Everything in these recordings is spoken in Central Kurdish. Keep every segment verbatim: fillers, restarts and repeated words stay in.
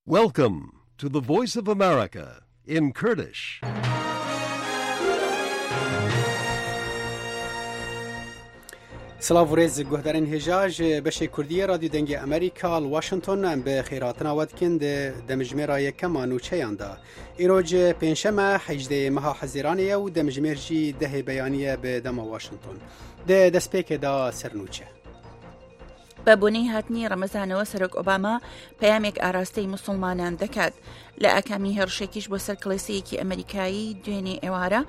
Welcome to the Voice of America in Kurdish. سلاv و rêz guhdarên hêja ji beşê Kurdiyê Radyo Dengê Amerîka li Washington em bi xêratina we dikin di demjimêra yekema nûçeyan de. Îro ji pêncşeme hejdehê meha Hezîranê ye û demjimêr jî dehê beyaniye bi dema Washington. Di destpêkê de ser nûçe. بە بۆنەی هاتنی ڕەمەزانەوە سەرۆک ئۆباما پەیامێک ئاراستەی موسڵمانان دەکات. لە ئاکامی هێڕشێکیش بۆ سەر کڵێسەیەکی ئەمریکایی دوێنێ ئێوارە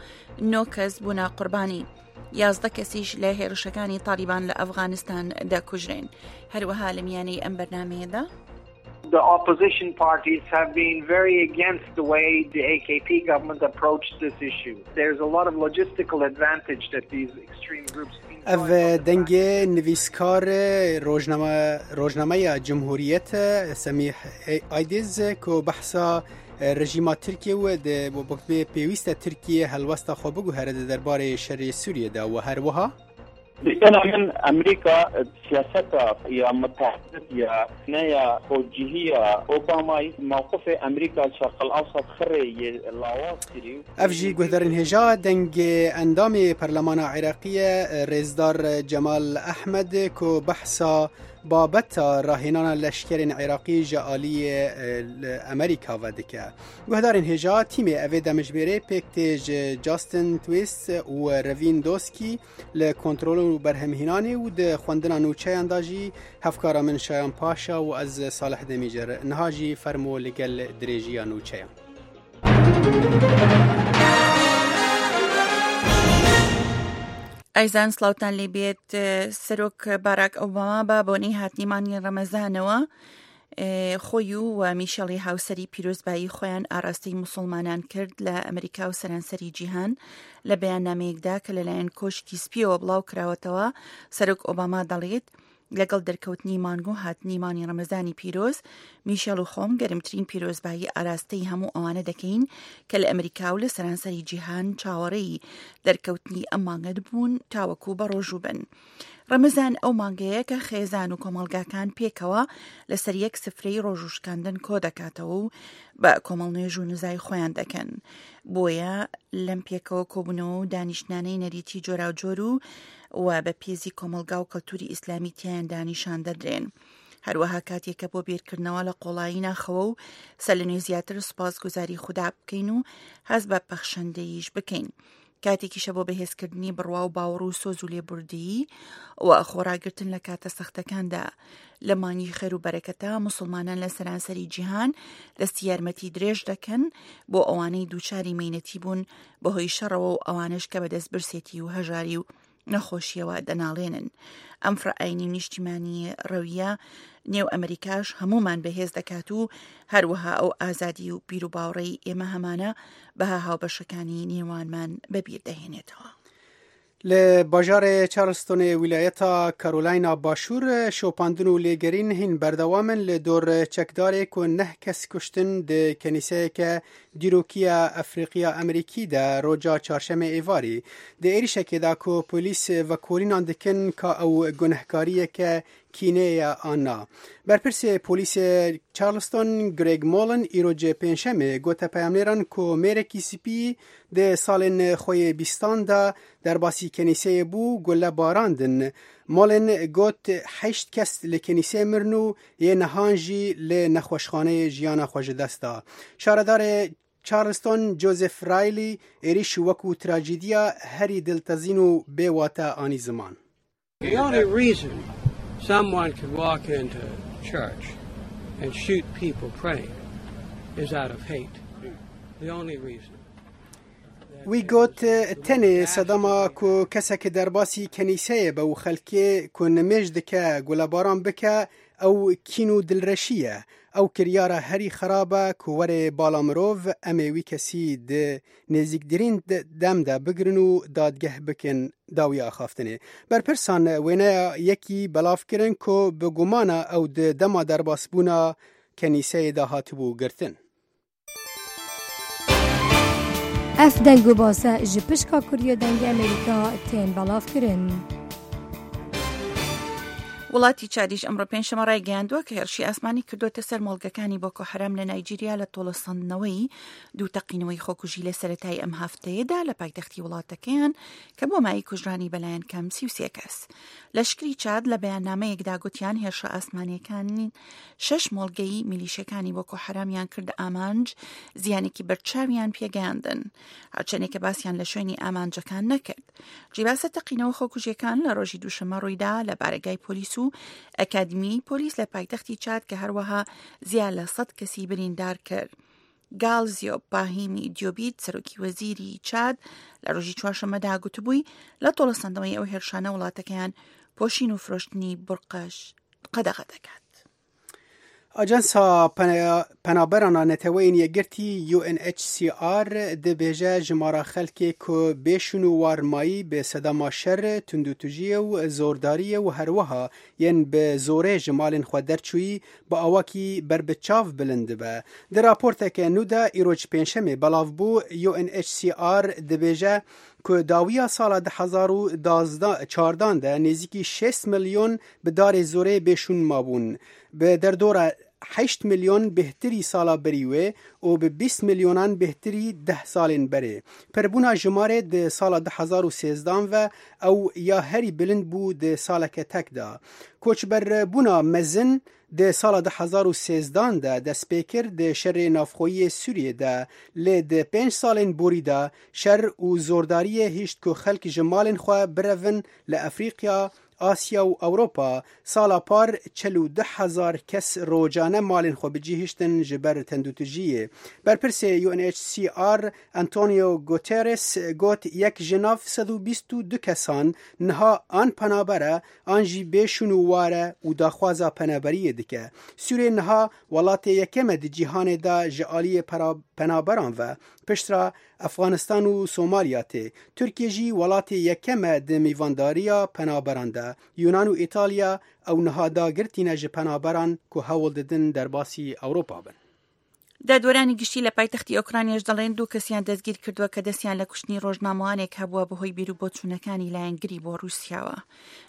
نۆ کەس بوونە قوربانی. یازدە کەسیش لە هێرشەکانی تالیبان لە ئەفغانستان دەکوژرێن. هەروەها لە میانەی ئەم بەرنمەیەدا The opposition parties have been very against the way the A K P government approached this issue. There's a lot of logistical advantage that these extreme groups Ev dengê nivîskar rojnameya Cumhuriyet Semîh Aydiz ku behsa rejîma Tirkiye û pêwîste Tirkiye helwesta xwe biguhere di derbarê şerê Sûriyê de û her wiha أنا من أمريكا سياستها يا متحدة يا نيا توجيهية أوباما موقف أمريكا الشرق الأوسط خري لاواز. Ev jî guhdarên hêja dengê endamê Perlemana Iraqiyê Rêzdar Cemal Ehmed ku behsa babeta rahênana leşkerên Iraqî ji aliyê Amerîka ve dike. Guhdarên hêja tîmê evê demjimêrê pêk tê ji Justin Twist û Revîn Doskî li kontrol û berhemhînanê û di xwendina nûçeyan da jî hevkara min Şayan Paşa û ez Salih Demîcer. Niha jî fermo li gel dirêjiya nûçeyan. ئایزان سڵاوتان لێ بێت. سەرۆک باراک ئۆباما بە بۆنەی هاتنی مانگی ڕەمەزانەوە خۆی و میشێلی هاوسەری پیرۆزبایی خۆیان ئاراستەی موسڵمانان کرد لە ئەمریکا و سەرانسەری جیهان. لە بەیاننامەیەکدا کە لەلایەن کۆشکی سپیەوە بڵاو کراوەتەوە، سەرۆک ئۆباما دەڵێت لەگەڵ دەرکەوتنی مانگ و هاتنی مانگی ڕەمەزانی پیرۆز، میشێل و خۆم گەرمترین پیرۆزبایی ئاراستەی هەموو ئەوانە دەکەین کە لە ئەمریکا و لە سەرانسەری جیهان چاوەڕێی دەرکەوتنی ئەم مانگە بوون تاوەکو بە ڕۆژوو بن. ڕەمەزان ئەو مانگەیە کە خێزان و کۆمەڵگاکان پێکەوە لەسەر یەک سفرەی ڕۆژوشکاندن کۆ دەکاتەوە و بە کۆمەڵ نوێژ و نزای خۆیان دەکەن. بۆیە لەم پێکەوە کۆبوونەوە و دانیشتنانەی نەریتی جۆراوجۆر و و بە پێزی کۆمەلگا و کەلتوری ئیسلامی تیاندا نیشان دەدرێن. هەروەها کاتێکە بۆ بیرکردنەوە لە قۆڵایی ناخەوە و سەر لە نوێ زیاتر سوپاسگوزاری خودا بکەین و هەست بە پەخشەندەییش بکەین. کاتێکیشە بۆ بەهێزکردنی بڕوا و باوەڕ و سۆز و لێبوردەیی و خۆراگرتن لە کاتە سەختەکاندا. لە مانگی خێر و بەرەکەتە موسڵمانان لە سەرانسەری جیهان دەستی یارمەتی درێژ دەکەن بۆ ئەوانەی دووچاری مەینەتی بوون بەهۆی شەڕەوە و ئەوانەش کە بەدەست برسێتی و هەژاری و نەخۆشیەوە دەناڵێنن. ئەم فرەئاینی نیشتیمانی ڕەویە نێو ئەمریکاش هەمومان بەهێز دەکات و هەروەها ئەو ئازادی و بیروباوەڕەی ئێمە هەمانە بەها هاوبەشەکانی نێوانمان بەبیر دەهێنێتەوە. لە bajarê Charlestonê wîlayeta Carolina Başûr şopandin û lêgerîn hîn berdewam in li dor çekdarê ku neh kes kuştin di kenîseyeke dîrokiya Efrîqiya Amerîkî de roja çarşemê êvarî. Di êrişekê de ku polîs vekolînan dikin ka ew gunehkariyeke kînê ye an na. Berpirsê polîsê Charleston Greg Mullen îro ji pêncşemê gote peyamnêran ku mêrekî spî di salên xwe yê bîstan de derbasî kenîseyê bû gule barandin. Mullen got heşt kes li kenîseyê mirin û yê nehan jî li nexweşxaneyê jiyana xwe ji dest da. Şaredarê Charleston Joseph Riley êriş wekû trajediya herî diltezîn û bêwate anî ziman. The only reason someone could walk into church and shoot people praying is out of hate. The only reason. Wî got tenê sedema ku kesek derbasî kenîseyê be û xelkê ku nimêj dike gulebaran bike ew kîn û dilreşî ye. Ew kiryara herî xerab e ku were bala mirov em ê wî kesî di nêzîktirîn dem de bigirin û dadgeh bikin dawiya axaftinê. Berpirsan wêneya yekî belav kirin ku bi gumana ew di dema derbasbûna kenîseyê de hatibû girtin. Ev deng û base ji pişka Kurdiya Dengê Amerîka tên belavkirin. وڵاتی چادیش ئەمڕۆ پێنجشەممە ڕایگەیاندووە کە هێرشی ئاسمانی کردووەتە سەر مۆڵگەکانی بۆکۆ حەرام لە نایجیریا لە تۆڵەسەندنەوەی دوو تەقینەوەی خۆکوژی لە سەرەتای ئەم هەفتەیەدا لە پایتەختی وڵاتەکەیان کە بۆ مای کوژرانی بەلایەن کەم سی و سێ کەس. لەشکری چاد لە بەیاننامەیەکدا گوتیان هێرشە ئاسمانیەکانی شەش مۆڵگەی میلیشەکانی بۆکۆ حەرامیان کردە ئامانج، زیانێکی بەرچاویان پێگەیاندن، هەرچەندێکە باسیان لە شوێنی ئامانجەکان نەکرد. جیباسە تەقینەوە خۆکوژیەکان لە ڕۆژی دووشەممە ڕوویدا لە بارەگای پۆلیس و ئەکادمی پۆلیس لە پایتەختی چاد کە هەروەها زیاد لە سەد کەسی بریندار کرد. گالزیۆ باهیمی دیۆبیت سەرۆکی وەزیری چاد لە ڕۆژی چوارشەممەدا گوتبووی لە تۆڵەسەندنەوەی ئەو هێرشانە وڵاتەکەیان پۆشین و فرۆشتنی بورقەش قەدەغە دەکات. ئاژانسا پەنابەران نەتەوەیên یەکگرتî U N H C R dibêje jimara xelkê ku bêşûn û warmayî bi sedema şer, tundûtûjiyê û zordariyê û herwiha yên bi zorê ji malên xwe derçûyî bi awakî berbiçav bilind dibe. Di raporteke nû de îro ji pêncşemê belav bû U N H C R dibêje ku dawiya sala du hezar û çardan de nêzîkî şêst milyon bi darê zorê bêşûn mabûn. Bi derdora heşt milyon bêhtirî sala berî wê û bi bîst milyonan bêhtirî deh salên berê. Pirbûna jimarê di sala du hezar û sêzdan ve ew ya herî bilind bû di saleke tek de. Koçberbûna mezin di sala du hezar û sêzdan de dest pê kir di şerê navxweyiyê Sûriyê de, lê di pênc salên borî de şer û zordariyê hişt ku xelk ji malên xwe birevin li Efrîqya, Asya û Ewropa. Sala par çel û du hezar kes rojane malên xwe bicî hiştin ji ber tendûtûjiyê. Berpirsê U N H C R Antonio Guterres got yek ji nav sed û bîst û du kesan niha an penaber e an jî bêşûn û war e û daxwaza penaberiyê dike. Sûriye niha welatê yekem e di cîhanê de ji aliyê penaberan ve, piştra Efxanistan û Somalya tê. Tirkiye jî welatê yekem e di mêvandariya penaberan de. Yunan û İtalya ew niha dagirtîne ji penaberan ku hewl didin derbasî Ewropa bin. دادوەرانی گشتی لە پایتەختی ئۆکرانیاش دەڵێن دوو کەسیان دەستگیر کردووە کە دەستیان لە کوشتنی ڕۆژنامەوانێک هەبووە بەهۆی بیر و بۆچوونەکانی لایەنگری بۆ رووسیاوە.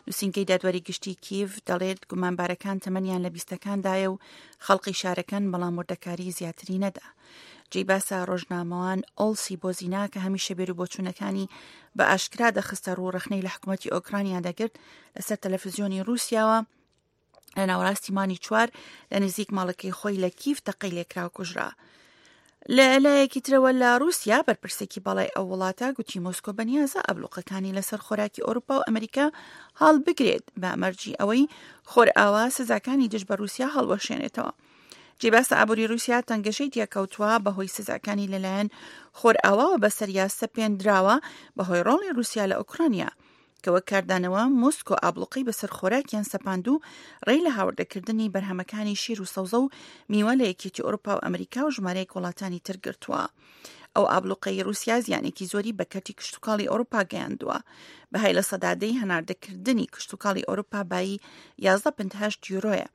نووسینگەی دادوەری گشتی کیڤ دەڵێت گومانبارەکان تەمەنیان لە بیستەکاندایە و خەڵقی شارەکان، بەڵام وردەکاری زیاتری نەدا. جێی باسە ڕۆژنامەوان ئۆلسی بۆزینا کە هەمیشە بیر و بۆچوونەکانی بە ئاشکرا دەخستە ڕوو ڕەخنەی لە حکوومەتی ئۆکرانیا دەگرت لەسەر تەلەفزیۆنی رووسیاوە لە ناوەڕاستی مانگی چوار لە نزیک ماڵەکەی خۆی لە کیف تەقەی لێکرا و کوژرا. لە لایەکی ترەوە لە رووسیا بەرپرسێکی باڵای ئەو وڵاتە گوتی مۆسکۆ بەنیازە ئابلوقەکانی لەسەر خۆراکی ئەوروپا و ئەمریکا هەڵبگرێت بە مەرجی ئەوەی خۆرئاوا سزاکانی دژ بە رووسیا هەڵوەشێنێتەوە. جێی باسە ئابووری رووسیا تەنگەشەی تێکەوتووە بەهۆی سزاکانی لەلایەن خۆرئاواوە بەسەریا سەپێندراوە بەهۆی ڕۆڵی رووسیا لە ئۆکرانیا کە وەک کاردانەوە مۆسکۆ ئابلوقەی بەسەر خۆراکیان سەپاند و ڕێی لە هاوردەکردنی بەرهەمەکانی شیر و سەوزە و میوە لە یەکێتی ئەوروپا و ئەمریکا و ژمارەیەک وڵاتانی تر گرتووە. ئەو ئابلوقەی رووسیا زیانێکی زۆری بە کەرتی کشتتوکاڵی ئەوروپا گەیاندووە. بەهای لە سەدا دەی هەناردەکردنی کشتتوکاڵی ئەوروپا بایی یازدە پنت هەشت یورۆیە.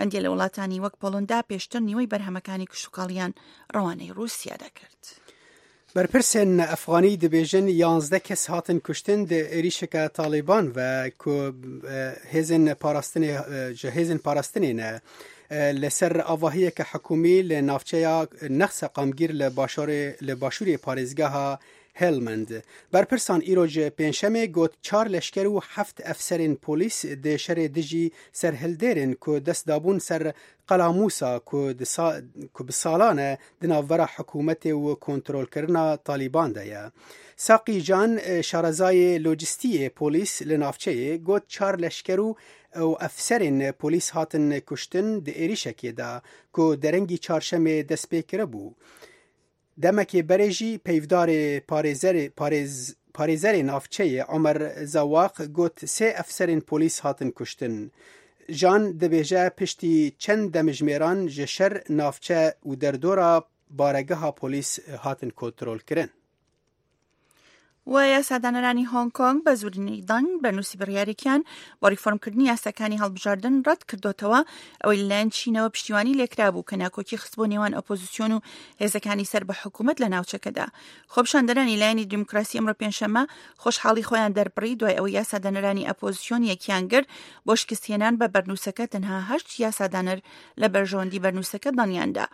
هەندێک لە وڵاتانی وەک پۆڵندا پێشتر نیوەی بەرهەمەکانی کشتتوکاڵیان ڕەوانەی رووسیا دەکرد. بەرپرسên Efxanî dibêjin yazdeh kes hatin kuştin di êrişeke Talîban ve ku hêzên parastinê ji hêzên parastinê ne li ser avahiyeke hikûmî li navçeya Nexseqamgîr li başûrê li başûrê parêzgeha Helmand. Berpirsan îro ji pêncşemê got çar leşker û heft efserên polîs di şerê dijî serhildêrên ku dest dabûn ser Qela Mûsa ku ku bi salan e di navbera hikûmetê û kontrolkirina Talîban de ye. Saqî Can şarezayê lojistiyê polîs li navçeyê got çar leşker û û efserên polîs hatin kuştin di êrişekê de ku derengî çarşemê dest pê kiribû. Demekê berê jî peyvdarê parêzerê parêz parêzerê navçeyê Omer Zewaq got sê efserên polîs hatin kuştin. Jan dibêje piştî çend demjimêran ji şer navçe û derdora baregeha polîs hatin kontrolkirin. و یاسادانەرانی هۆنگ کۆنگ بە زۆرینەی دەنگ بەرنووسی بڕیارێکیان بۆ ڕیفۆرمکردنی یاساکانی هەڵبژاردن ڕەت کردوتەوە، ئەوەی لەلایەن چینەوە پشتیوانی لێکرابوو کە ناکۆکی خستبوو نێوان ئۆپۆزیسیۆن و هێزەکانی سەر بە حکوومەت لە ناوچەکەدا. خۆپیشاندەرانی لایەنی دیموکراسی ئەمڕۆ پێنجشەممە خۆشحاڵی خۆیان دەربڕی دوای ئەوەی یاسادانەرانی ئۆپۆزیسیۆن یەکیان گرت بۆ شکستهێنان بە بەرنووسەکە، تەنها هەشت یاسادانەر لە بەرژەوەندی بەرنووسەکە دەنگیاندا.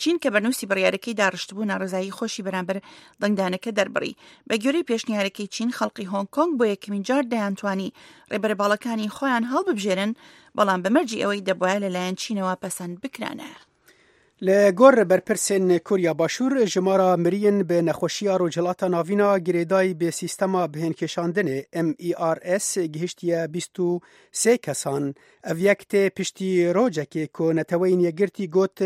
چین کە بەرنووسی بڕیارەکەی داڕشتبوو ناڕەزایی خۆشی بەرامبەر دەنگدانەکە دەربڕی. بە گوێرەی پێشنیارەکەی چین، خەڵکی هۆنگ کۆنگ بۆ یەکەمین جار دەیانتوانی ڕێبەرە باڵەکانی خۆیان هەڵببژێرن، بەڵام بە مەرجی ئەوەی دەبوایە لەلایەن چینەوە پەسەند بکرانە. لە گۆر بەرپرسên Koriya Başûr jimara miriyên bi nexweşiya Rojhilata Navîna girêdayî bi sîstema bihênkêşandinê M E R S gihiştiye bîst û sê kesan. Ev yek tê piştî rojekê ku Neteweyên Yekgirtî got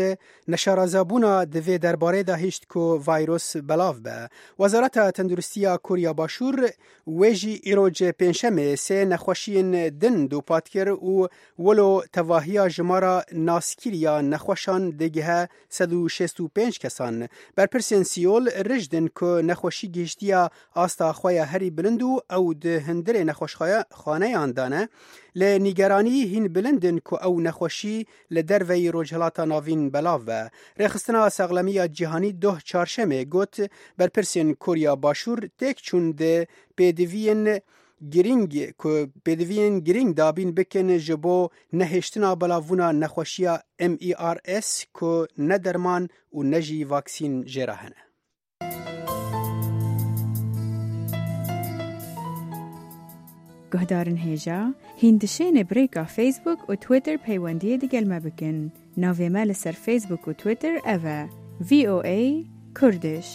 neşarezabûna di vê derbarê de hişt ku vîrus belav be. Wezareta Tenduristiya Koriya Başûr wê jî îro pêncşemê sê nexweşiyên din dûpat kir û wilo tevahiya jimara naskiriya nexweşan digihe sed û şêst û pênc kesan. Berpirsên Seul rijdin ku nexweşî gihiştiya asta xwe ya herî bilind û ew di hundirê nexweşxaneyan de ne. Lê nîgeranî hîn bilindin ku ew nexweşî li derveyî Rojhilata Navîn belav be. Rêxistina Saxlemiya Cîhanî doh çarşemê got berpirsên Koriya Başûr têk çûn di pêdiviyên girîng ku pêdiviyên girîng dabîn bikin ji bo nehêştina belavbûna nexweşiya M E R S ku ne derman û ne jî vaksîn jê re hene. Guhdarên hêja, hûn dişêne bi rêka Facebook û Twitter peywendiyê digel me bikin. Navê me li ser Facebook û Twitter ev e: V O A Kurdish.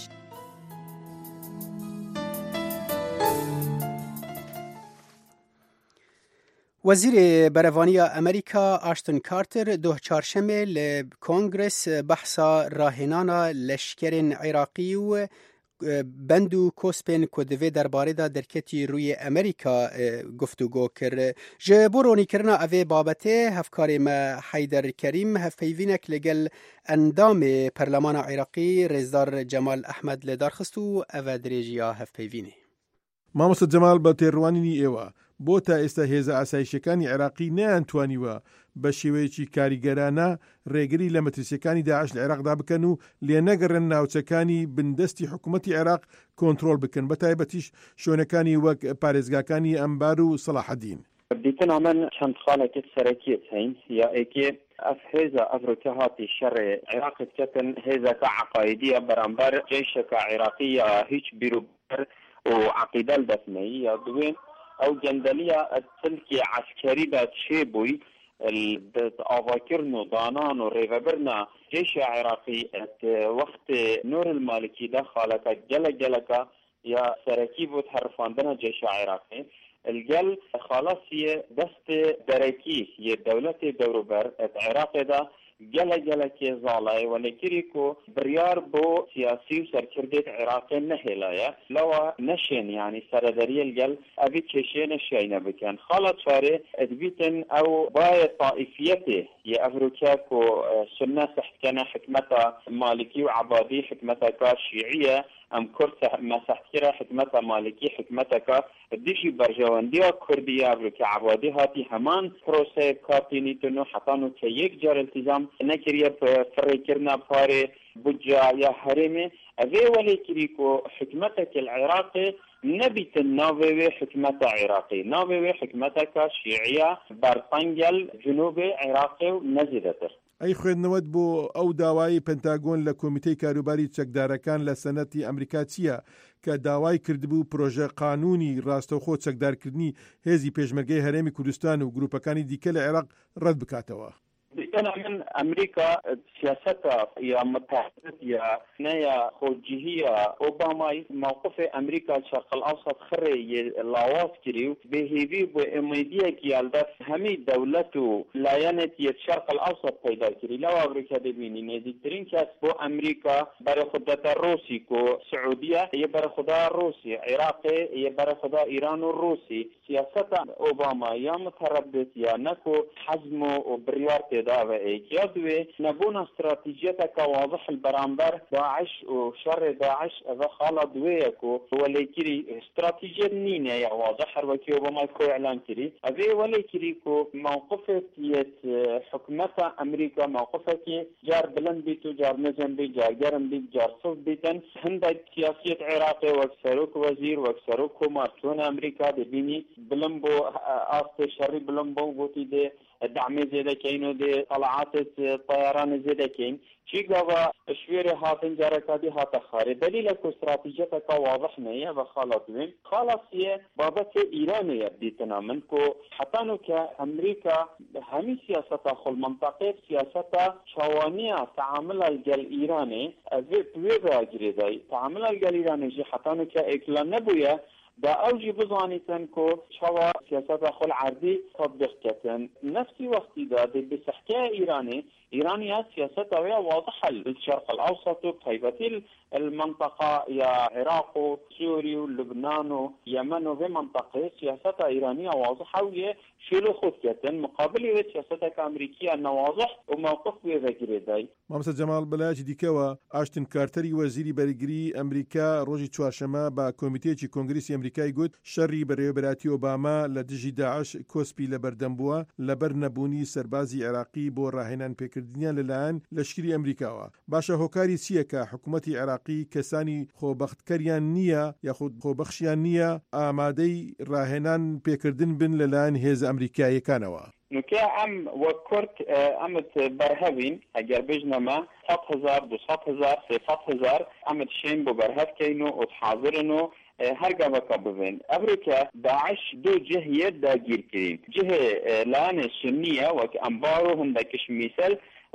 Wezîrê Berevaniya Amerîka Ashton Carter doh çarşemê li Kongres behsa rahênana leşkerên Iraqî û bend û kospên ku di vê derbarê de derketî rûyê Amerîka guftûgo kir. Ji bo ronîkirina evê babetê hevkarê me Heyder Kerîm hevpeyvînek li gel endamê Perlemana Iraqî Rêzdar Cemal Ehmed li dar xist û ev e dirêjiya hevpeyvînê. مامۆستا جەمال، بە تێڕوانینی ئێوە بۆ تا ئێستا هێزە ئاسایشەکانی عێراقی نەیانتوانیوە بە شێوەیەکی کاریگەرانە ڕێگری لە مەترسیەکانی داعش لە عێراقدا بکەن و لێنەگەڕێن ناوچەکانی بندەستی حکوومەتی عێراق کۆنترۆل بکەن، بە تایبەتیش شوێنەکانی وەک پارێزگاکانی ئەنبار و سەلاحەدین؟ دیتنا من چەند خاڵێکی سەرەکیت هەین. یا ئێکێ ئەف هێزە ئەڤرۆکە هاتی شەڕێ عێراق کەتن هێزەکە عقایدیە بەرامبەر جەیشەکە عێراقیە هیچ بیرو و عقیدە دەستنەیی. یا دوێ ئەو گەندەلیە تلکی عسکەری دا چێ بووی ئاواکردن و دانان و ڕێوەبرنا جيش عراقي وقت نور المالكي دا خالك جلك جلك يا سركي بوت حرفاندنا جيش عراقي الجل خلاص دست دركي يا دولة دوروبر عراق دا گەلە گەلەکێ زاڵای وەلێکری کو بڕیار بۆ سیاسی و سەرکردێت عێراقی نەهێلایە لەوە نەشێن یعنی سەرەدەریە گەل ئەبی کێشێ نەشیینە بکەن. خاڵە چارێ ئەدبیتن ئەو باە طائفیەتێ یە ئەڤروکە کو سنە سەحتکەنە حکمەتە مالکی و عبادی حکمەتەکە شیعیە، ئەم کورد مەسەحتکرە حکمەتە مالکی حکمەتەکە دژی بەرژەوەندیە کوردیە. ئەڤروکە عبادی هاتی هەمان پرۆسەیە کارتینیتن و حتان و کە یەک جار التزام نەکریە فڕێکردنا پارێ بودجە یا هەرێمێ، ئەvê وەلێکری کو حکمەتەکە العراقی نەبیتن ناوێ وێ حکمەتە عێراقی، ناوێ وێ حکمەتەکە شیعیە بەرتەنگەل جنوبی عێراقی و نەزیدەتر. ئەی خوێندنەوەت بۆ ئەو داوای پنتاگۆن لە کۆمیتەی کاروباری چەکدارەکان لە سەنەتی ئەمریکا چییە کە داوای کردبوو پرۆژە قانونی ڕاستەوخۆ چەکدارکردنی هێزی پێشمەرگەی هەرێمی کوردستان و گروپەکانی دیکە لە عێراق ڕەت بکاتەوە؟ أنا من أمريكا سياستها يا متحدة يا نيا خوجهية أوباما موقف أمريكا الشرق الأوسط خري لاواز كريو بهيفي بإميدية كيالدف همي دولته لاينت الشرق الأوسط پیدا كري. لو أمريكا دبيني نزيدترين كاس بو أمريكا برا خدة الروسي كو سعودية هي برا خدا الروسي عراقي هي برا خدا إيران الروسي. سياسة أوباما يا متردد يا نكو حزمه وبريارته. دا و ئێک یا دوێ نەبوونا استراتیژیەتەکە واضح بەرامبەر داعش و شەڕ داعش ئەوە خاڵە دوێیە کو وەلێکری استراتیژیەت نینە یا واضح هەر وەکی ئۆبامای خۆی ئعلان کری ئەوێ وەلێکری کو موقفێت یەت حکومەتە ئەمریکا موقفێکی جار بلند بیت و جار نزم بیت جار گەرم بیت جار سست بیتن هەندێک سیاسیەت عێراقی وەک سەرۆک وەزیر وەک سەرۆک کۆمار چۆن ئەمریکا دەبینی بلند بۆ ئاستێ شەڕی بلند بۆ گوتی دێ دەعمێ زێدەکەین و دێ طلعاتت طیران زێدەکەین چی گاوا شوێرێ هاتن جارەکادی هاتە خارێ دلیلە کو استراتیژیەتەکە واضح نییە و خاڵە دوێم خاڵە سیە بابەت ئیرانەیە دیتنا من کو حتانو کە ئەمریکا هەمی سیاسەتە خۆل منطقەی سیاسەتە چاوانیە تعامل گەل ئیرانێ ئەوێ پوێ گرێدای تعامل گەل ئیرانێ ژی حتانو کە ئێکلا نەبوویە دا ئەوجی بزانیتن کو چوا سیاسەتە خۆل عەردی تطبیق کەتن نفسی وەختی دا دێ بسحکە ئیرانێ إيرانيا سياستها واضحة للشرق الأوسط وبتايبتي المنطقة يا عراق وسوريا ولبنان ويمن وفي منطقة سياستها إيرانية واضحة وهي شيلو خود كتن مقابل سياستها أمريكية أنه واضح وموقف ويذكري. مامۆستا جەماڵ، بەلایەکی دیکەوە ئاشتن کارتەری وەزیری بەرگری ئەمریکا ڕۆژی چوارشەمە بە کۆمیتەیەکی کۆنگرسی ئەمریکای گوت شەڕی بەڕێوەبەرایەتی ئۆباما لە دژی داعش کۆسپی لەبەردەم بووە لەبەر نەبوونی سەربازی عێراقی بۆ ڕاهێنان پێکردنیان لەلایەن لەشکری ئەمریکاوە. باشە هۆکاری چییە کە حکوومەتی عێراقی کەسانی خۆبەختکەریان نییە یاخود خۆبەخشیان نییە ئامادەی ڕاهێنان پێکردن بن لەلایەن هێزە ئەمریکاییەکانەوە؟ نوکە ئەم وەک کورد ئەمت بەرهەوین ئەگەر بژنەمە سەد هەزار دو سەد هەزار سێ سەد هەزار ئەمت شێن بۆ بەرهەڤکەین و ئوت حاضرن و هەر گاوەکە ببین. ئەمریکا داعش دوو جهیە داگیرکرین جهێ لایەنێ سنیە وەک ئەنبار و هەندێکش میسل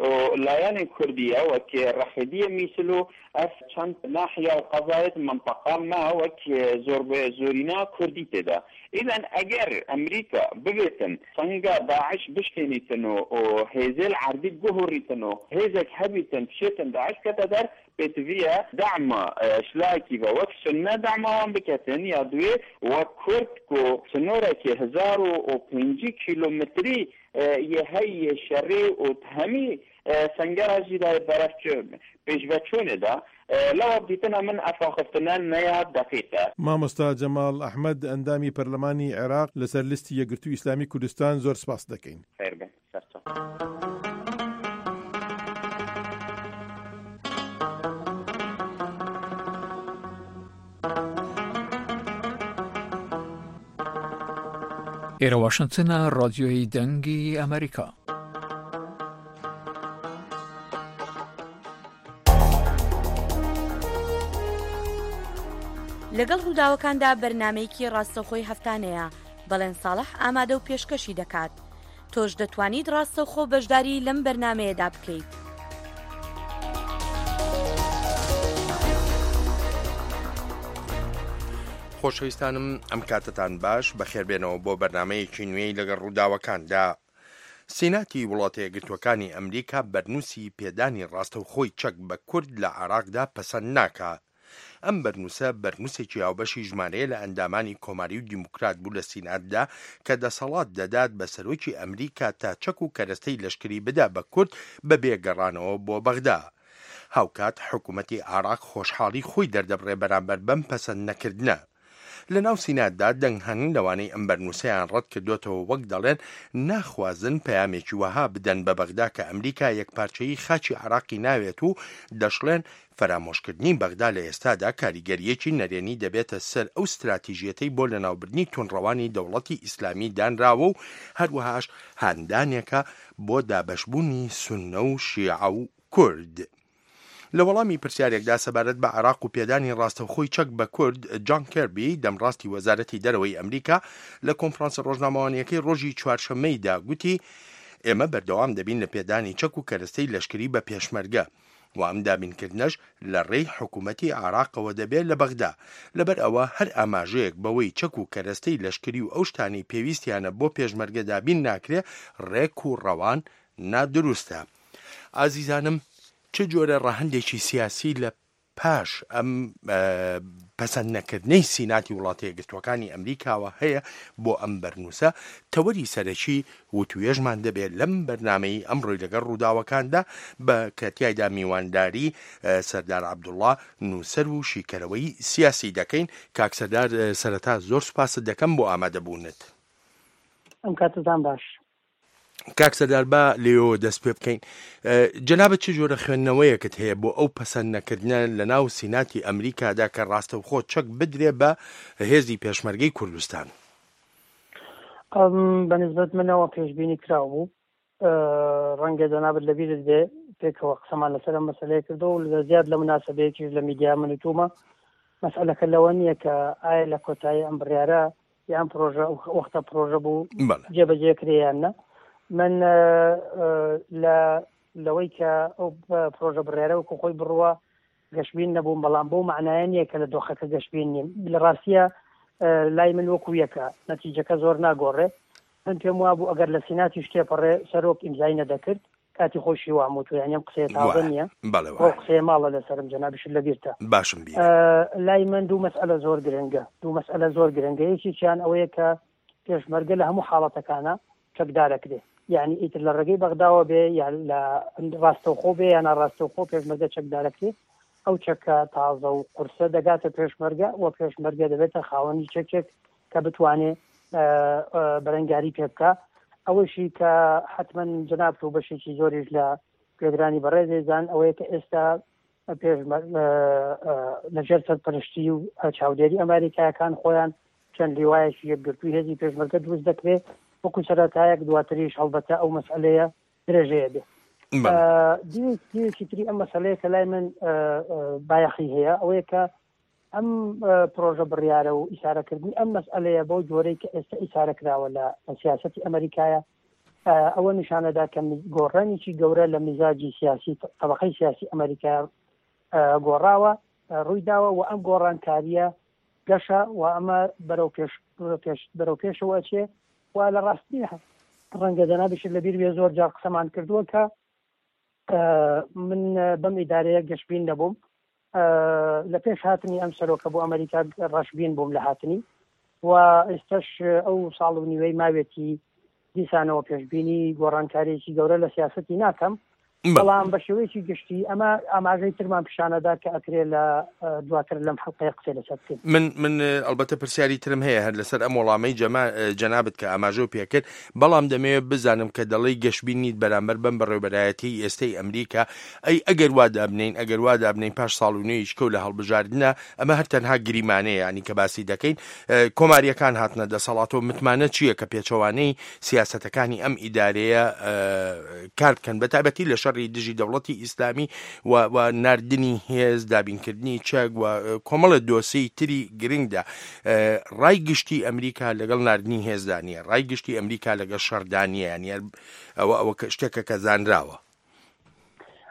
و لایەنێ کوردیە وەک ڕەحیدیە میسل و ئەف چەند ناحیە و قەزایەت منطقە ما وەک زۆر زۆرینا کوردی تێدا. ئیذن ئەگەر ئەمریکا ببێتن سەنگا داعش بشکێنیتن و هێزێل عەربی بگۆڕیتن و هێزێک هەبیتن بشێتن داعش کەتە دەر پێتڤیە دەعمە شلاکی بە وەک سنە دەعمەوان بکەتن یا دوێ وەک کورد کو سنۆرێکی هەزار و پێنجی کیلۆمەتری یە هەیە شەڕی و هەمی سەنگەرا ژیدای بەرەف پێشڤەچوونێدا لەوە دیتنا من ئەفاخفتنە نەیە دەقیقە. مامۆستا جەماڵ ئەحمەد ئەندامی پەرلەمانی عێراق لەسەر لیستی یەکگرتوو ئیسلامی کوردستان زۆر سپاس دەکەین. خێر بێ سەرچاو. ئێرە واشنگتنە، ڕادیۆی دەنگی ئەمریکا. لەگەڵ ڕووداوەکاندا بەرنمەیەکی ڕاستەوخۆی هەفتانەیە بەڵێن ساڵح ئامادە و پێشکەشی دەکات. تۆش دەتوانیت ڕاستەوخۆ بەشداری لەم بەرنمەیەدا بکەیت. خۆشەویستانم، ئەم کاتتان باش، بەخێربێنەوە بۆ بەرنمەیەکی نوێی لەگەڵ ڕووداوەکاندا. سیناتی وڵاتە یەکگرتووەکانی ئەمریکا بەرنووسی پێدانی ڕاستەوخۆی چەک بە کورد لە عێراقدا پەسەند ناکا. ئەم بەرنووسە بەرنووسێکی هاوبەشی ژمارەیە لە ئەندامانی کۆماری و دیموکرات بوو لە سیناتدا کە دەسەڵات دەدات بە سەرۆکی ئەمریکا تا چەک و کەرەستەی لەشکری بدا بە کورد بەبێ گەڕانەوە بۆ بەغدا. هاوکات حکوومەتی عێراق خۆشحاڵی خۆی دەردەبڕێ بەرامبەر بەم پەسەند نەکردنە. لە ناو سیناتدا دەنگ هەن لەوانەی ئەم بەرنووسەیان ڕەت کردوێتەوە وەک دەڵێن ناخوازن پەیامێکی وەها بدەن بە بەغدا کە ئەمریکا یەکپارچەیی خاچی عێراقی ناوێت و دەشڵێن فەرامۆشکردنی بەغدا لە ئێستادا کاریگەریەکی نەرێنی دەبێتە سەر ئەو ستراتیژیەتەی بۆ لەناوبردنی توندڕەوانی دەوڵەتی ئیسلامی دانراوە و هەروەهاش هاندانێکە بۆ دابەشبوونی سوننە و شیعە و کورد. لە وەڵامی پرسیارێکدا سەبارەت بە عێراق و پێدانی ڕاستەوخۆی چەک بە کورد، جان کێربی دەمڕاستی وەزارەتی دەرەوەی ئەمریکا لە کۆنفرانسە ڕۆژنامەوانیەکەی ڕۆژی چوارشەممەیدا گوتی ئێمە بەردەوام دەبین لە پێدانی چەک و کەرەستەی لەشکری بە پێشمەرگە و ئەم دابینکردنەش لە ڕێی حکوومەتی عێراقەوە دەبێت لە بەغدا. لەبەر ئەوە هەر ئاماژەیەک بەوەی چەک و کەرەستەی لەشکری و ئەو شتانەی پێویستیانە بۆ پێشمەرگە دابین ناکرێ ڕێک و ڕەوان نادروستە. ئازیزانم، چ جۆرە ڕەهەندێکی سیاسی لە پاش ئەم پەسەند نەکردنەی سیناتی وڵاتە یەکگرتووەکانی ئەمریکاوە هەیە بۆ ئەم بەرنووسە، تەوەری سەرەکی وتوێژمان دەبێت لەم بەرنامەی ئەمڕۆی لەگەڵ ڕووداوەکاندا بە کە تیایدا میوانداری سەردار عەبدوڵڵا نووسەر و شیکەرەوەی سیاسی دەکەین. کاک سەردار سەرەتا زۆر سوپاست دەکەم بۆ ئامادەبوونت. ئەم کاتتان باش. کاک سەردار با لێوە دەست پێ بکەین. جەنابت چ جۆرە خوێندنەوەیەکت هەیە بۆ ئەو پەسەند نەکردنە لە ناو سیناتی ئەمریکادا کە ڕاستەوخۆ چەک بدرێ بە هێزی پێشمەرگەی کوردستان؟ بە نسبەت منەوە پێشبینی کراو بوو. ڕەنگە جەنابت لەبیرت بێ پێکەوە قسەمان لەسەر ئەم مەسەلەیە کردو و لە زیاد لە مناسبەیەکیش لە میدیا من و تومە. مەسئلەکە لەوە نییە کە ئایا لە کۆتایی ئەم بڕیارە یان پرۆژە وەختە پرۆژە بوو جێبەجێ کرێ یان نە. من لە لەوەی کە ئەو پرۆژە بڕیارە وەکو خۆی بڕوە گەشبین نەبووم، بەڵام بەو معنایە نییە کە لە دۆخەکە گەشبین نیم. لە ڕاستیە لای من وەکو یەکە، نەتیجەکە زۆر ناگۆڕێ. من پێم وابوو ئەگەر لە سیناتی شتێپەڕێ سەرۆک ئیمزای نەدەکرد، کاتی خۆشی واموتو، یعنی ئەم قسەیە تازە نییە، ئەو قسەیە ماڵە لەسەرم، جەنابیشت لەبیرتە. باشم بیر. لای من دوو مەسئلە زۆر گرنگە، دوو مەسئلە زۆر گرنگە. یەکێکیان ئەوەیە کە پێشمەرگە لە هەموو حاڵەتەکانە چەکدارەکرێ، یعنی ئیتر لە ڕێگەی بەغداوە بێ یان لە ڕاستەوخۆ بێ یان ناڕاستەوخۆ پێشمەرگە چەکدارەکرێ. ئەو چەکە تازە و قورسە دەگاتە پێشمەرگە و پێشمەرگە دەبێتە خاوەنی چەکێک کە بتوانێ بەرەنگاری پێ بکە. ئەوەشی کە حتمما جەنابت و بەشێکی زۆریش لە گوێگرانی بەڕێزێزان ئەوەیە کە ئێستا لەژێر سەرپەرشتی و چاودێری ئەمریکایەکان خۆیان چەند لیوایەکی یەکگرتووی هێزی پێشمەرگە دروست دەکرێت وەکو سەرەتایەک، دواتریش هەڵبەتە ئەو مەسئلەیە درێژەیە بێ. دیوێکی تری ئەم مەسئلەیە کە لای من بایەخی هەیە ئەوەیە کە ئەم پرۆژە بڕیارە و ئیشارەکردنی ئەم مەسئلەیە بەو جۆرەی کە ئێستا ئیشارە کراوە لە سیاسەتی ئەمریکایە، ئەوە نیشانەدا کە گۆڕانێکی گەورە لە میزاجی سیاسی طبقەی سیاسی ئەمریکا گۆڕاوە ڕووی داوە و ئەم گۆڕانکاریە گەشە و ئەمە بەرەو پێش بەرەو پێشەوە ئەچێ. و لە ڕاستی ڕەنگە جەنابیشت لەبیر بێ زۆر جار قسەمان کردووە کە من بەم ئیدارەیە گەشبین نەبووم. لە پێش هاتنی ئەم سەرۆکە بۆ ئەمریکا ڕەشبین بووم لە هاتنی و ئێستاش ئەو ساڵ و نیوەی ماوێتی دیسانەوە پێشبینی گۆڕانکاریەکی گەورە لە سیاسەتی ناکەم، بەڵام بە شێوەیەکی گشتی ئەمە ئاماژەی ترمان پیشانەدا کە ئەکرێ لە دواتر لەم حەڵقەیە قسەی لەسەر بکەین. من من ئەلبەتە پرسیاری ترم هەیە هەر لەسەر ئەم وەڵامەی جەنابت کە ئاماژەو پێکرد، بەڵام دەمەوێت بزانم کە دەڵێی گەشبین نیت بەرامبەر بەم بەڕێوبەرایەتی ئێستەی ئەمریکا. ئەی ئەگەر وا دابنین، ئەگەر وا دابنین پاش ساڵ و نوێیش کەو لە هەڵبژاردنە، ئەمە هەر تەنها گریمانەیە ینی کە باسی دەکەین، کۆماریەکان هاتنە دەسەڵاتەوە، متمانە چییە کە پێچەوانەی سیاسەتەکانی ئەم ئیدارەیە کار بکەن، بە تایبەتی لە شەڕی دژی دەوڵەتی ئیسلامی و ناردنی هێز، دابینکردنی چەک و کۆمەڵە دۆسیەی تری گرنگدا. ڕای گشتی ئەمریکا لەگەڵ ناردنی هێزدا نییە، ڕای گشتی ئەمریکا لەگەڵ شەڕدا نییە، یعنی ئەوە ئەوە شتێکە کە زانراوە.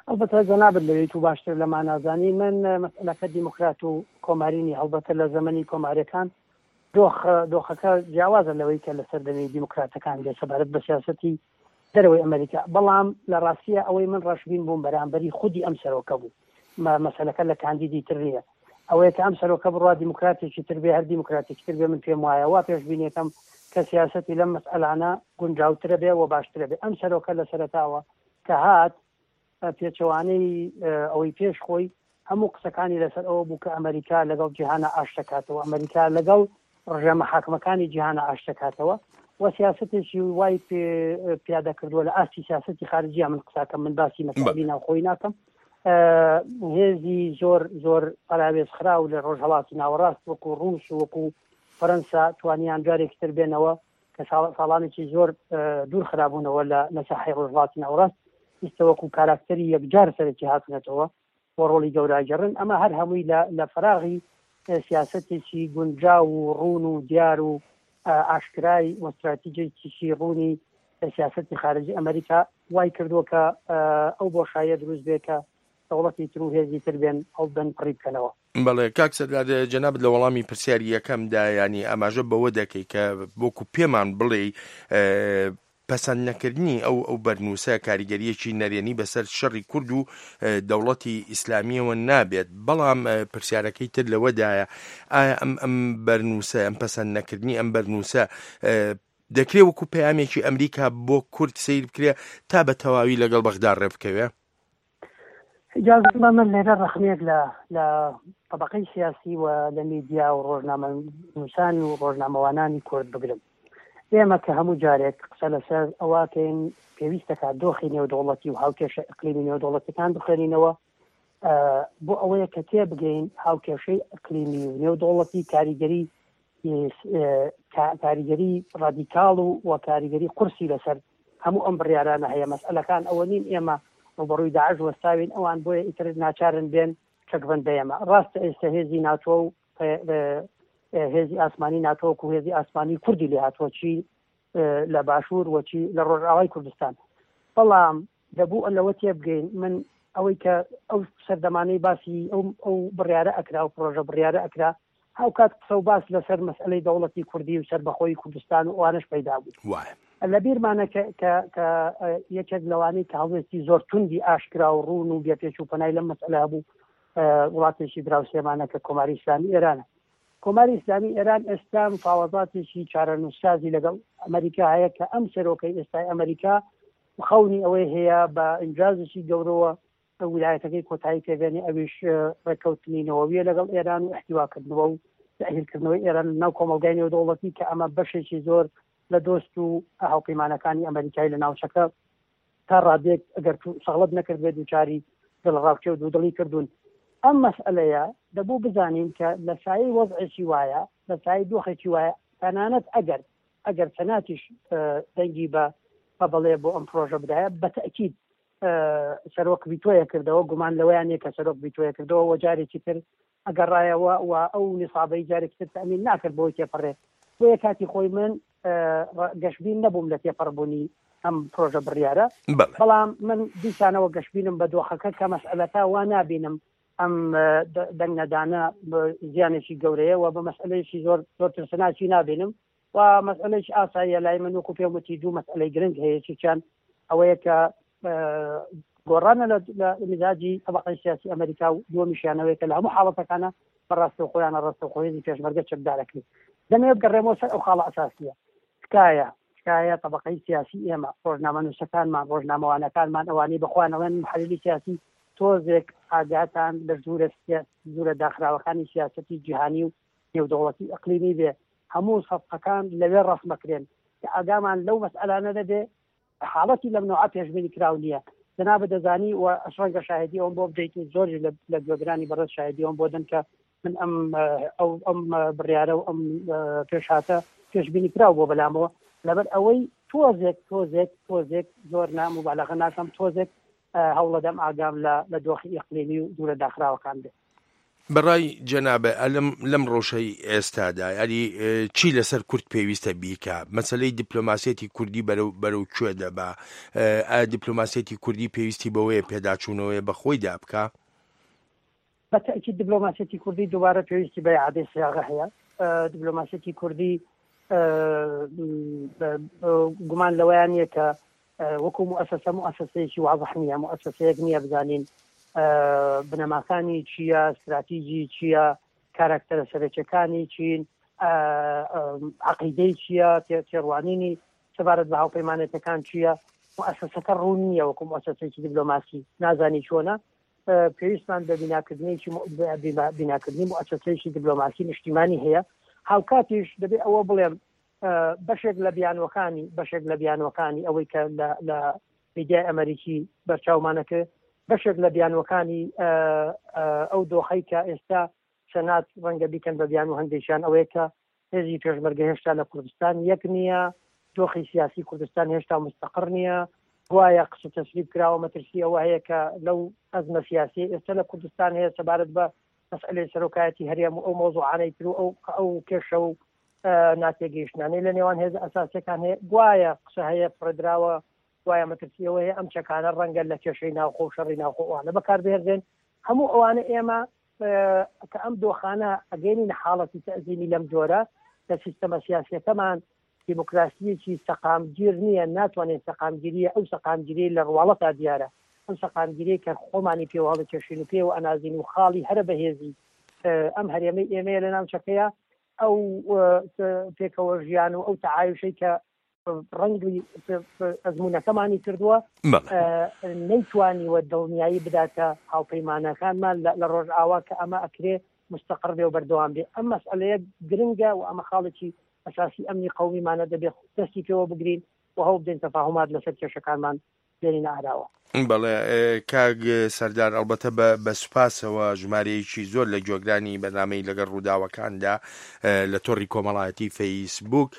ئەلبەتە جەنابت لەوێی تو باشتر لە مانازانی. من مەسئلەکە دیموکرات و کۆمارینی، هەڵبەتە لە زەمەنی کۆماریەکان دۆخ دۆخەکە جیاوازە لەوەی کە لەسەر دەمی دیموکراتەکان بێ سەبارەت بە سیاسەتی دەرەوەی ئەمریکا. بەڵام لە ڕاستیە ئەوەی من ڕەشبین بووم بەرامبەری خودی ئەم سەرۆکە بوو، مەسەلەکە لە کاندیدی تر نییە. ئەوەیە کە ئەم سەرۆکە بڕوا دیموکراتێکی تر بێ، هەر دیموکراتێکی تر بێ، من پێم وایە وا پێشبینیەکەم کە سیاسەتی لەم مەسئلانە گونجاوترە بێ و باشترە بێ. ئەم سەرۆکە لە سەرەتاوە کە هات پێچەوانەی ئەوەی پێش خۆی هەموو قسەکانی لەسەر ئەوە بوو کە ئەمریکا لەگەڵ جیهانە ئاشتەکاتەوە، ئەمریکا لەگەڵ ڕژێمە حاکمەکانی جیهانە ئاشتەکاتەوە و سیاسەتێکی وای پیادە کردووە لە ئاستی سیاسەتی خارجیە. من قساکەم، من باسی مەسئلەی ناوخۆی ناکەم. هێزی زۆر زۆر پەراوێز خراو لە ڕۆژهەڵاتی ناوەڕاست وەکو ڕووس و وەکو فەرەنسا توانیان جارێکی تر بێنەوە کە ساڵانێکی زۆر دوور خرابوونەوە لە ساحەی ڕۆژهەڵاتی ناوەڕاست، ئیستا وەکو کاراکتەری یەکجار سەرەکی هاتنەتەوە و ڕۆڵی گەوراگەڕن. ئەمە هەر هەمووی لە فراغی سیاسەتێکی گونجاو و ڕوون و دیار و ئاشکرای و استراتیژێکی ڕوونی سیاسەتی خارجی ئەمریکا وای کردووە کە ئەو بۆشاییە دروست بێ کە دەوڵەتی تر و هێزی تر بێن ئەو بن پڕی بکەنەوە. بەڵێ کاک سەردار، جەنابت لە وەڵامی پرسیاری یەکەمدا ینی ئاماژە بەوە دەکەی کە وەکو پێمان بڵێ پەسەند نەکردنی ئەو ئەو بەرنووسە کاریگەریەکی نەرێنی بەسەر شەڕی کورد و دەوڵەتی ئیسلامیەوە نابێت. بەڵام پرسیارەکەی تر لەوەدایە ئایا ئەم ئەم بەرنووسە، ئەم پەسەند نەکردنی ئەم بەرنووسە دەکرێ وەکو پەیامێکی ئەمریکا بۆ کورد سەیر بکرێ تا بە تەواوی لەگەڵ بەغدا ڕێ بکەوێ؟ ئیجازە بە من لێرە ڕەخنەیەک لە لە طبقەی سیاسی و لە میدیا و ڕۆژنامەنووسان و ڕۆژنامەوانانی کورد بگرم. ئێمە کە هەموو جارێک قسە لەسەر ئەوەکەین پێویستەکە دۆخی نێودەوڵەتی و هاوکێشە ئەقلیمی نێودەوڵەتەکان بخوێنینەوە بۆ ئەوەیە کە تێبگەین هاوکێشەی ئەقلیمی و نێودەوڵەتی کاریگەری کاریگەری ڕادیکاڵ و و کاریگەری قورسی لەسەر هەموو ئەم بڕیارانە هەیە. مەسئلەکان ئەوە نین ئێمە ڕووبەڕووی داعش وەستاوین، ئەوان بۆیە ئیتر ناچارن بێن چەکبەند بە ئێمە. ڕاستە ئێستا هێزی ناتۆ و هێزی ئاسمانی ناتۆ و هێزی ئاسمانی کوردی لێ هاتووە، چی لە باشوور و چی لە ڕۆژئاوای کوردستان، بەڵام دەبوو لەوە تێبگەین من ئەوەی کە ئەو سەردەمانەی باسی ئەو ئەو بڕیارە ئەکرا و پرۆژە بڕیارە ئەکرا، هاوکات قسە و باس لەسەر مەسئلەی دەوڵەتی کوردی و سەربەخۆی کوردستان و ئەوانەش پەیدا بوو. لە بیرمانە کە کە یەکێک لەوانەی کە هەڵوێستی زۆر توندی ئاشکرا و ڕوون و بێپێچ و پەنای لەم مەسئلە هەبوو وڵاتێکی دراوسێمانە کە کۆماری ئیسلامی ئێرانە. کۆماری ئیسلامی ئێران ئێستا مفاوەزاتێکی چارەنووسسازی لەگەڵ ئەمریکا هەیە کە ئەم سەرۆکەی ئێستای ئەمریکا خەونی ئەوەی هەیە بە ئینجازێکی گەورەوە ویلایەتەکەی کۆتایی پێبێنێ، ئەویش ڕێککەوتنی نەوەویە لەگەڵ ئێران و احتیواکردنەوە و تەئهیلکردنەوەی ئێران ناو کۆمەڵگای نێودەوڵەتی کە ئەمە بەشێکی زۆر لە دۆست و هاوپەیمانەکانی ئەمریکای لە ناوچەکە تا ڕادێک ئەگەر سەغڵەت نەکرد بێت دووچاری دڵڕاوکێ و دوودڵی کردوون. ئەم مەسئلەیە دەبوو بزانین کە لە سایەی وەزعێکی وایە، لە سایەی دۆخێکی وایە، تەنانەت ئەگەر ئەگەر سەناتیش دەنگی بە بەڵێ بۆ ئەم پرۆژە بدایە، بە تەئکید سەرۆک ڤیتۆیە کردەوە، گومان لەوەیان نییە کە سەرۆک ڤیتۆیە کردەوە و جارێکی تر ئەگەڕایەوە و ئەو نیسابەی جارێکی تر تەئمین ناکرد بۆی تێپەڕێ. بۆیە کاتی خۆی من گەشبین نەبووم لە تێپەڕبوونی ئەم پرۆژە بڕیارە، بەڵام من دیسانەوە گەشبینم بە دۆخەکە کە مەسئلەکە وا نابینم ئەم دەنگنەدانە زیانێکی گەورەیە و بە مەسئلەیەکی زۆر زۆر ترسناکی نابینم و مەسئلەیەکی ئاساییە لای من. وەکو پێم وتی دوو مەسئلەی گرنگ هەیە، یەکێکیان ئەوەیە کە گۆڕانە لە میزاجی طبقەی سیاسی ئەمریکا و دووەمیشیانەوەیە کە لە هەموو حاڵەتەکانە بە ڕاستەوخۆیانە ڕاستەوخۆ هێزی پێشمەرگە چەکدارەکرێت. دەمەوێت بگەڕێمەوە سەر ئەو خاڵە ئەساسیە. تکایە تکایە طبقەی سیاسی ئێمە، ڕۆژنامەنووسەکانمان، ڕۆژنامەوانەکانمان، ئەوانەی بەخۆیان ئەڵێن محەلیلی سیاسی، تۆزێک ئاگاتان لە ژوورە ژوورە داخراوەکانی سیاسەتی جیهانی و نێودەوڵەتی ئەقلیمی بێ. هەموو سەفقەکان لەوێ ڕەسمەکرێن کە ئاگامان لەو مەسئلانە نەبێ. حاڵەتی لەم نەوعە پێشبینی کراو نییە. جەنابت دەزانی و ڕەنگە شاهدی ئەوم بۆ بدەیت و زۆریش لە گوێگرانی بەڕێز شاهدی ئەوم بۆ دەن کە من ئەم ئەو ئەم بڕیارە و ئەم پێشهاتە پێشبینی کراو بۆ بەلامەوە، لەبەر ئەوەی تۆزێک تۆزێک تۆزێک زۆر نا موبالەغە ناکەم، تۆزێک هەوڵەدەم ئاگام لە لە دۆخی ئیقلیمی و دوورە داخراوەکان بێت. بەڕای جەنابە ئەلم لەم ڕۆژەی ئێستادا یاری چی لەسەر کورد پێویستە بیکا؟ مەسلەی دیپلۆماسیەتی کوردی بەرەو بەرەو کوێ دەبا؟ ئایا دیپلۆماسیەتی کوردی پێویستی بەوەیە پێداچوونەوەیە بە خۆیدا بکا؟ بە تەئکید دیپلۆماسیەتی کوردی دووبارە پێویستی بە ئیعادەی سیاغە هەیە. دیپلۆماسیەتی کوردی گومان لەوەیان نییە کە وەکو مؤسسە مؤسسەیەکی واضح نییە، مؤسسەیەک نییە بزانین بنەماکانی چییە، استراتیژی چییە، کاراکتەرە سەرەکیەکانی چین، عەقیدەی چییە، تێڕوانینی سەبارەت بە هاوپەیمانێتەکان چییە. مؤسسەکە ڕوون نییە وەکو مؤسسەیەکی دیپلۆماسی، نازانی چۆنە. پێویستمان بە بیناکردنێکی بیناکردنی مؤسسەیەکی دیپلۆماسی نیشتیمانی هەیە. هاوکاتیش دەبێ ئەوە بڵێم بەشێک لە بیانوەکانی بەشێک لە بیانوەکانی ئەوەی کە لە میدیای ئەمریکی بەرچاومانەکە، بەشێک لە بیانوەکانی ئەو دۆخەی کە ئێستا سەنات ڕەنگە بیکەن بە بیان و هەندێکیان ئەوەیە کە هێزی پێشمەرگە هێشتا لە کوردستان یەک نییە، دۆخی سیاسی کوردستان هێشتا مستەقڕ نییە، گوایە قسە تەسریب کراوە، مەترسی ئەوە هەیە کە لەو ئەزمە سیاسی ئێستا لە کوردستان هەیە سەبارەت بە مەسئلەی سەرۆکایەتی هەرێم و ئەو مەوزوعانەی تر و ئەو ئەو کێشە و ناتێگەیشتنانەی لە نێوان هێزە ئەساسیەکان هەیە، گوایە قسە هەیە فڕێدراوە، گوایە مەترسی ئەوە هەیە ئەم چەکانە ڕەنگە لە کێشەی ناوخۆ و شەڕی ناوخۆ ئەوانە بەکاربهێنرێن. هەموو ئەوانە ئێمە کە ئەم دۆخانە ئەگەینین حاڵەتی تەئزیمی لەم جۆرە لە سیستەمە سیاسیەکەمان دیموکراسیەکی سەقامگیر نییە، ناتوانێت سەقامگیریە ئەو سەقامگیری لە ڕواڵەتا دیارە، ئەم سەقامگیری کە خۆمانی پێوە هەڵکێشین و پێوە ئەنازین و خاڵی هەرە بەهێزی ئەم هەرێمەی ئێمەیە لە ناوچەکەیە، ئەو پێکەوە ژیان و ئەو تەعایشەی کە ڕەنگی ئەزمونەکەمانی کردووە نەیتوانیوە دڵنیایی بداتە هاوپەیمانەکانمان لە ڕۆژئاوا کە ئەمە ئەکرێ مستەقڕ بێ و بەردەوام بێ. ئەم مەسئلەیە گرنگە و ئەمە خاڵێکی ئەساسی ئەمنی قەومیمانە، دەبێ دەستی پێوە بگرین و هەوڵ بدەین تەفاهومات لەسەر کێشەکانمان بێنینە ئاراوە. بەڵێ کاک سەردار، ئەلبەتە بە سوپاسەوە ژمارەیەکی زۆر لە گوێگرانی بەرنامەی لەگەڵ ڕووداوەکاندا لە تۆڕی کۆمەڵایەتی فەیسبوک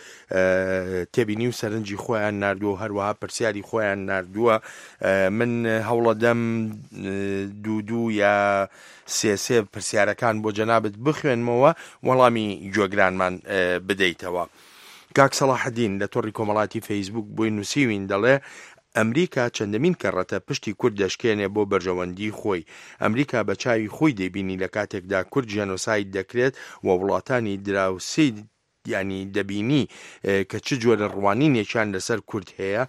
تێبینی و سەرنجی خۆیان ناردووە و هەروەها پرسیاری خۆیان ناردووە. من هەوڵەدەم دوو دوو یا سێ سێ پرسیارەکان بۆ جەنابت بخوێنمەوە وەڵامی گوێگرانمان بدەیتەوە. کاک سەڵاحەدین لە تۆڕی کۆمەڵاتی فەیسبوک بۆی نووسیوین، دەڵێ ئەمریکا چەندەمین کەڕەتە پشتی کورد دەشکێنێ بۆ بەرژەوەندی خۆی. ئەمریکا بە چاوی خۆی دەیبینی لە کاتێکدا کورد ژێنۆساید دەکرێت و وڵاتانی دراوسێ ینی دەبینی کە چ جۆرە ڕوانینێکیان لەسەر کورد هەیە.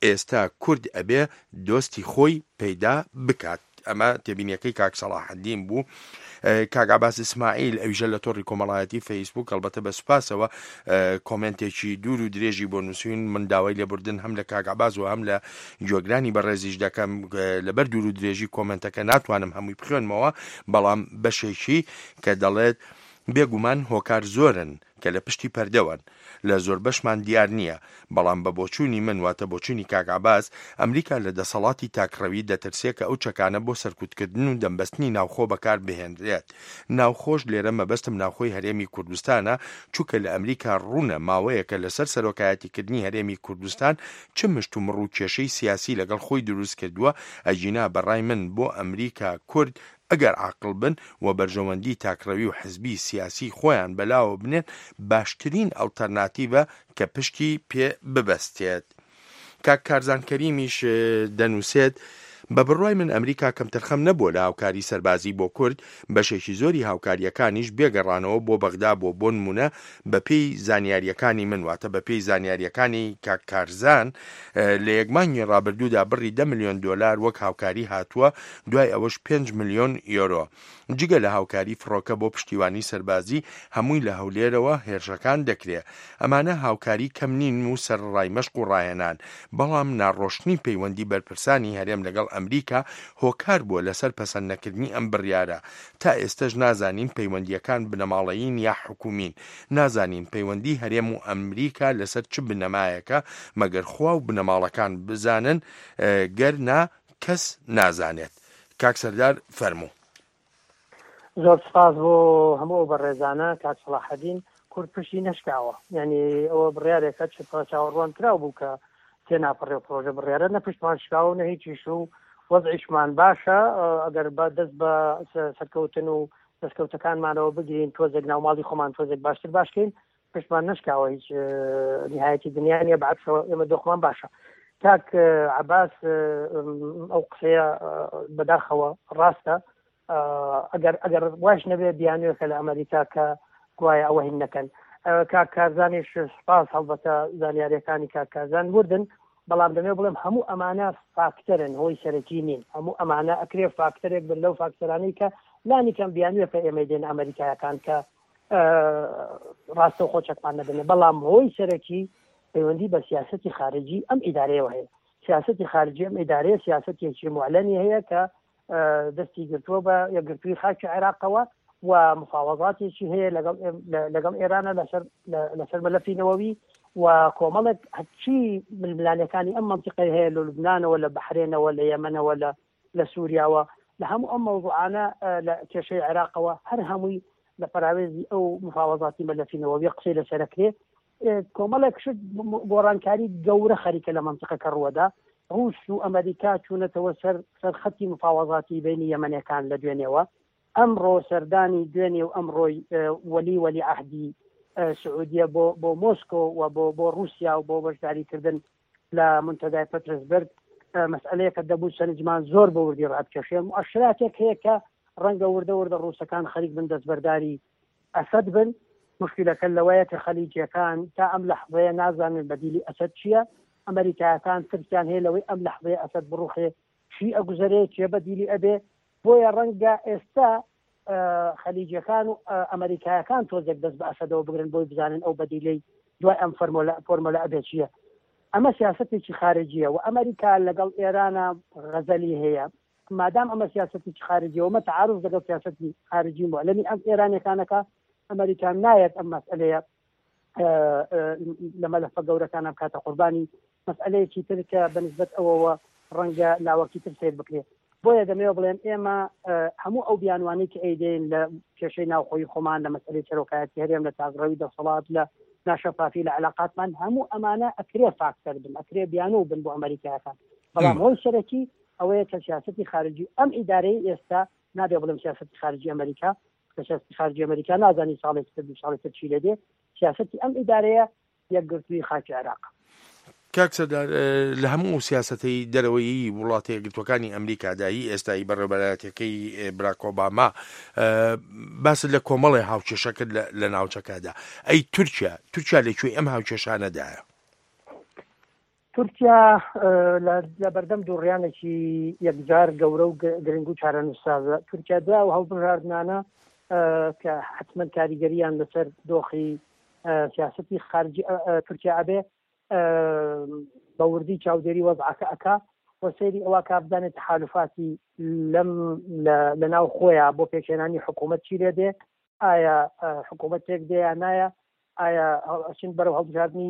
ئێستا کورد ئەبێ دۆستی خۆی پەیدا بکات. ئەمە تێبینیەکەی کاک سەڵاحەدین بوو. کاک عەباس ئیسماعیل ئەویژە لە تۆڕی کۆمەڵایەتی فەیسبوک ئەلبەتە بە سوپاسەوە کۆمێنتێکی دوور و درێژی بۆ نووسین. من داوای لێبوردن هەم لە کاک عەباس و هەم لە گوێگرانی بەڕێزیش دەکەم، لەبەر دوور و درێژی کۆمێنتەکە ناتوانم هەمووی بخوێنمەوە، بەڵام بەشێکی کە دەڵێت بێگومان هۆکار زۆرن کە لە پشتی پەردەوەن، لە زۆر بەشمان دیار نییە، بەڵام بە بۆچوونی من واتە بۆچوونی کاک عەباس، ئەمریکا لە دەسەڵاتی تاکڕەوی دەترسێ کە ئەو چەکانە بۆ سەرکوتکردن و دەمبەستنی ناوخۆ بەکار بهێنرێت. ناوخۆش لێرە مەبەستم ناوخۆی هەرێمی کوردستانە، چونکە لە ئەمریکا ڕوونە ماوەیەکە لەسەر سەرۆکایەتیکردنی هەرێمی کوردستان چ مشتومڕ و کێشەی سیاسی لەگەڵ خۆی دروست کردووە. ئەگینا بەڕای من بۆ ئەمریکا کورد ئەگەر عاقڵ بن و بەرژەوەندی تاکڕەوی و حزبی سیاسی خۆیان بەلاوە بنێن، باشترین ئەڵتەرناتیڤە کە پشتی پێ ببەستێت. کاک کارزان کەریمیش دەنووسێت بە بڕوای من ئەمریکا کەمتەرخەم نەبووە لە هاوکاری سەربازی بۆ کورد، بەشێکی زۆری هاوکاریەکانیش بێگەڕانەوە بۆ بەغدا بۆ بۆ نمونە بەپێی زانیاریەکانی من، واتە بەپێی زانیاریەکانی کاک کارزان لە یەک مانگی ڕابردوودا بڕی دە ملیۆن دۆلار وەک هاوکاری هاتووە، دوای ئەوەش پێنج ملیۆن یۆرۆ. جگە لە هاوکاری فڕۆکە بۆ پشتیوانی سەربازی هەمووی لە هەولێرەوە هێرشەکان دەکرێ. ئەمانە هاوکاری کەم نین و سەرڕای مەشق و ڕاهێنان، بەڵام ناڕۆشنی پەیوەندی بەرپرسانی هەرێم لەگەڵ ئەمریکا هۆکار بووە لەسەر پەسەند نەکردنی ئەم بڕیارە. تا ئێستەش نازانین پەیوەندیەکان بنەماڵەیین یا حکومین، نازانین پەیوەندی هەرێم و ئەمریکا لەسەر چ بنەمایەکە، مەگەر خوا و بنەماڵەکان بزانن، گەر نا کەس نازانێت. کاک سەردار فەرموو. زۆر سپاس بۆ هەموو ئەو بەڕێزانە. کاک سەڵاحەدین، کورد پشتی نەشکاوە، یعنی ئەوە بڕیارێکە چ چاوەڕوان کراو بوو کە تێناپەڕێ و پرۆژە بڕیارە نە پشتمان شکاوە و نە هیچیش و وەزعیشمان باشە. ئەگەر بە دەست بە سەرکەوتن و دەستکەوتەکانمانەوە بگرین، تۆزێک ناوماڵی خۆمان تۆزێک باشتر باشکەین، پشتمان نەشکاوە، هیچ نهایەتی دنیا نییە، بەعکسەوە ئێمە دۆخمان باشە. کاک عەباس ئەو قسەیە بەداخەوە ڕاستە، ئەگەر ئەگەر واش نەبێ بیانوێکە لە ئەمریکا کە گوایە ئەوە هین نەکەن. کاک کارزانیش سپاس، هەڵبەتە زانیاریەکانی کاک کارزان وردن، بەڵام دەمێ بڵێم هەموو ئەمانە فاکتەرن، هۆی سەرەکی نین. هەموو ئەمانە ئەکرێ فاکتەرێک بن لەو فاکتەرانەی کە لانی کەم بیانوێکە ئێمەی دێن ئەمریکایەکان کە ڕاستەوخۆ چەکمان نەدەنێ، بەڵام هۆی سەرەکی پەیوەندی بە سیاسەتی خارجی ئەم ئیدارەیەوە هەیە. سیاسەتی خارجی ئەم ئیدارەیە سیاسەتێکی معلنی هەیە کە دەستی گرتووە بە یەکگرتووی خاکی عێراقەوە و مفاوەزاتێکی هەیە لەگەڵ لەگەڵ ئێرانە لەسەر لەسەر مەلەفی نەوەوی و کۆمەڵێک هەرچی ململانەکانی ئەم منطقەی هەیە لە لوبنانەوە، لە بەحرێنەوە، لە یەمەنەوە، لە لە سووریاوە، لە هەموو ئەم مەوزوعانە لە کێشەی عێراقەوە هەر هەمووی لە پەراوێزی ئەو مفاوەزاتی مەلەفی نەوەوی قسەی لەسەرەکرێ. کۆمەڵێک شت گۆڕانکاری گەورە خەریکە لە منطقەکە ڕووەدا. ڕووس و ئەمریکا چوونەتەوە سەر سەر خەتی مفاوەزاتی بینی یەمەنەکان لە دوێنێوە. ئەمڕۆ سەردانی دوێنێ و ئەمڕۆی وەلی وەلی عەهدی سعودیە بۆ بۆ مۆسکۆ و بۆ بۆ رووسیا و بۆ بەشداریکردن لە منتەدای پترسبرگ مەسئلەیەکە دەبوو سەرنجمان زۆر بە وردی ڕابکێشێ. مؤشراتێک هەیە کە ڕەنگە وردە وردە ڕووسەکان خەریک بن دەستبەرداری ئەسەد بن. مشکلەکە لەوەیە کە خەلیجیەکان تا ئەم لەحظەیە نازانن بەدیلی ئەسەد چییە. ئەمریکایەکان ترسیان هەیە لەوەی ئەم لەحظەیە ئەسەد بڕوخێ چی ئەگوزەرێ، چێ بەدیلی ئەبێ. بۆیە ڕەنگە ئێستا خەلیجیەکان و ئەمریکایەکان تۆزێک دەست بە ئەسەدەوە بگرن بۆی بزانن ئەو بەدیلەی دوای ئەم فۆرمۆلە ئەبێ چییە. ئەمە سیاسەتێکی خارجیە و ئەمریکا لەگەڵ ئێرانە غەزەلی هەیە. مادام ئەمە سیاسەتێکی خارجیە و مە تعارض لەگەڵ سیاسەتی خارجی معلنی ئەم ئێرانیەکانەکە، ئەمریکا نایەت ئەم مەسئلەیە لە مەلەفە گەورەکانە بکاتە قوربانی. مەسئلەیەکی تر کە بەنسبەت ئەوەوە ڕەنگە لاوەکی تر سەیر بکرێت. بۆیە دەمەوێت بڵێم ئێمە هەموو ئەو بیانوانەی کە ئەیدەین لە کێشەی ناوخۆی خۆمان، لە مەسئلەی سەرۆکایەتی هەرێم، لە تاکڕەوی دەسەڵات، لە ناشەفافی لە علاقاتمان، هەموو ئەمانە ئەکرێ فاکتەر بن، ئەکرێ بیانوو بن بۆ ئەمریکایەکان. بەڵام هۆی سەرەکی ئەوەیە کە سیاسەتی خارجی ئەم ئیدارەی ئێستا، نابێ بڵێم سیاسەتی خارجی ئەمریکا، کە سیاسەتی خارجی ئەمریکا نازانی ساڵێکی تر دوو ساڵی تر چی لێ دێ، سیاسەتی ئەم ئیدارەیە یەکگرتووی خاکی عێراق. کاک سەردار، لە هەموو سیاسەتەی دەرەوەیی وڵاتە یەکگرتووەکانی ئەمریکادا هی ئێستایی بەڕێوەبەرایەتیەکەی براک ئۆباما باست لە کۆمەڵێ هاوکێشە کرد لە ناوچەکەدا. ئەی تورکیا تورکیا لەکوێی ئەم هاوکێشانەدایە؟ تورکیا لە بەردەم دووڕیانێکی یەکجار گەورە و گرنگ و چارەنووسسازە. تورکیا دوای ئەو هەڵبژاردنانە کە حتمما کاریگەریان لەسەر دۆخی سیاسەتی خارجی تورکیا ئەبێ، بە وردی چاودێری وەزعەکە ئەکا و سەیری ئەوە کا بزانێت تەحالفاتی لەم لە ناو خۆیان بۆ پێکهێنانی حکوومەت چی لێ دێ، ئایا حکوومەت پێک دێ یا نایە، ئایا ئەچین بەرەو هەڵبژاردنی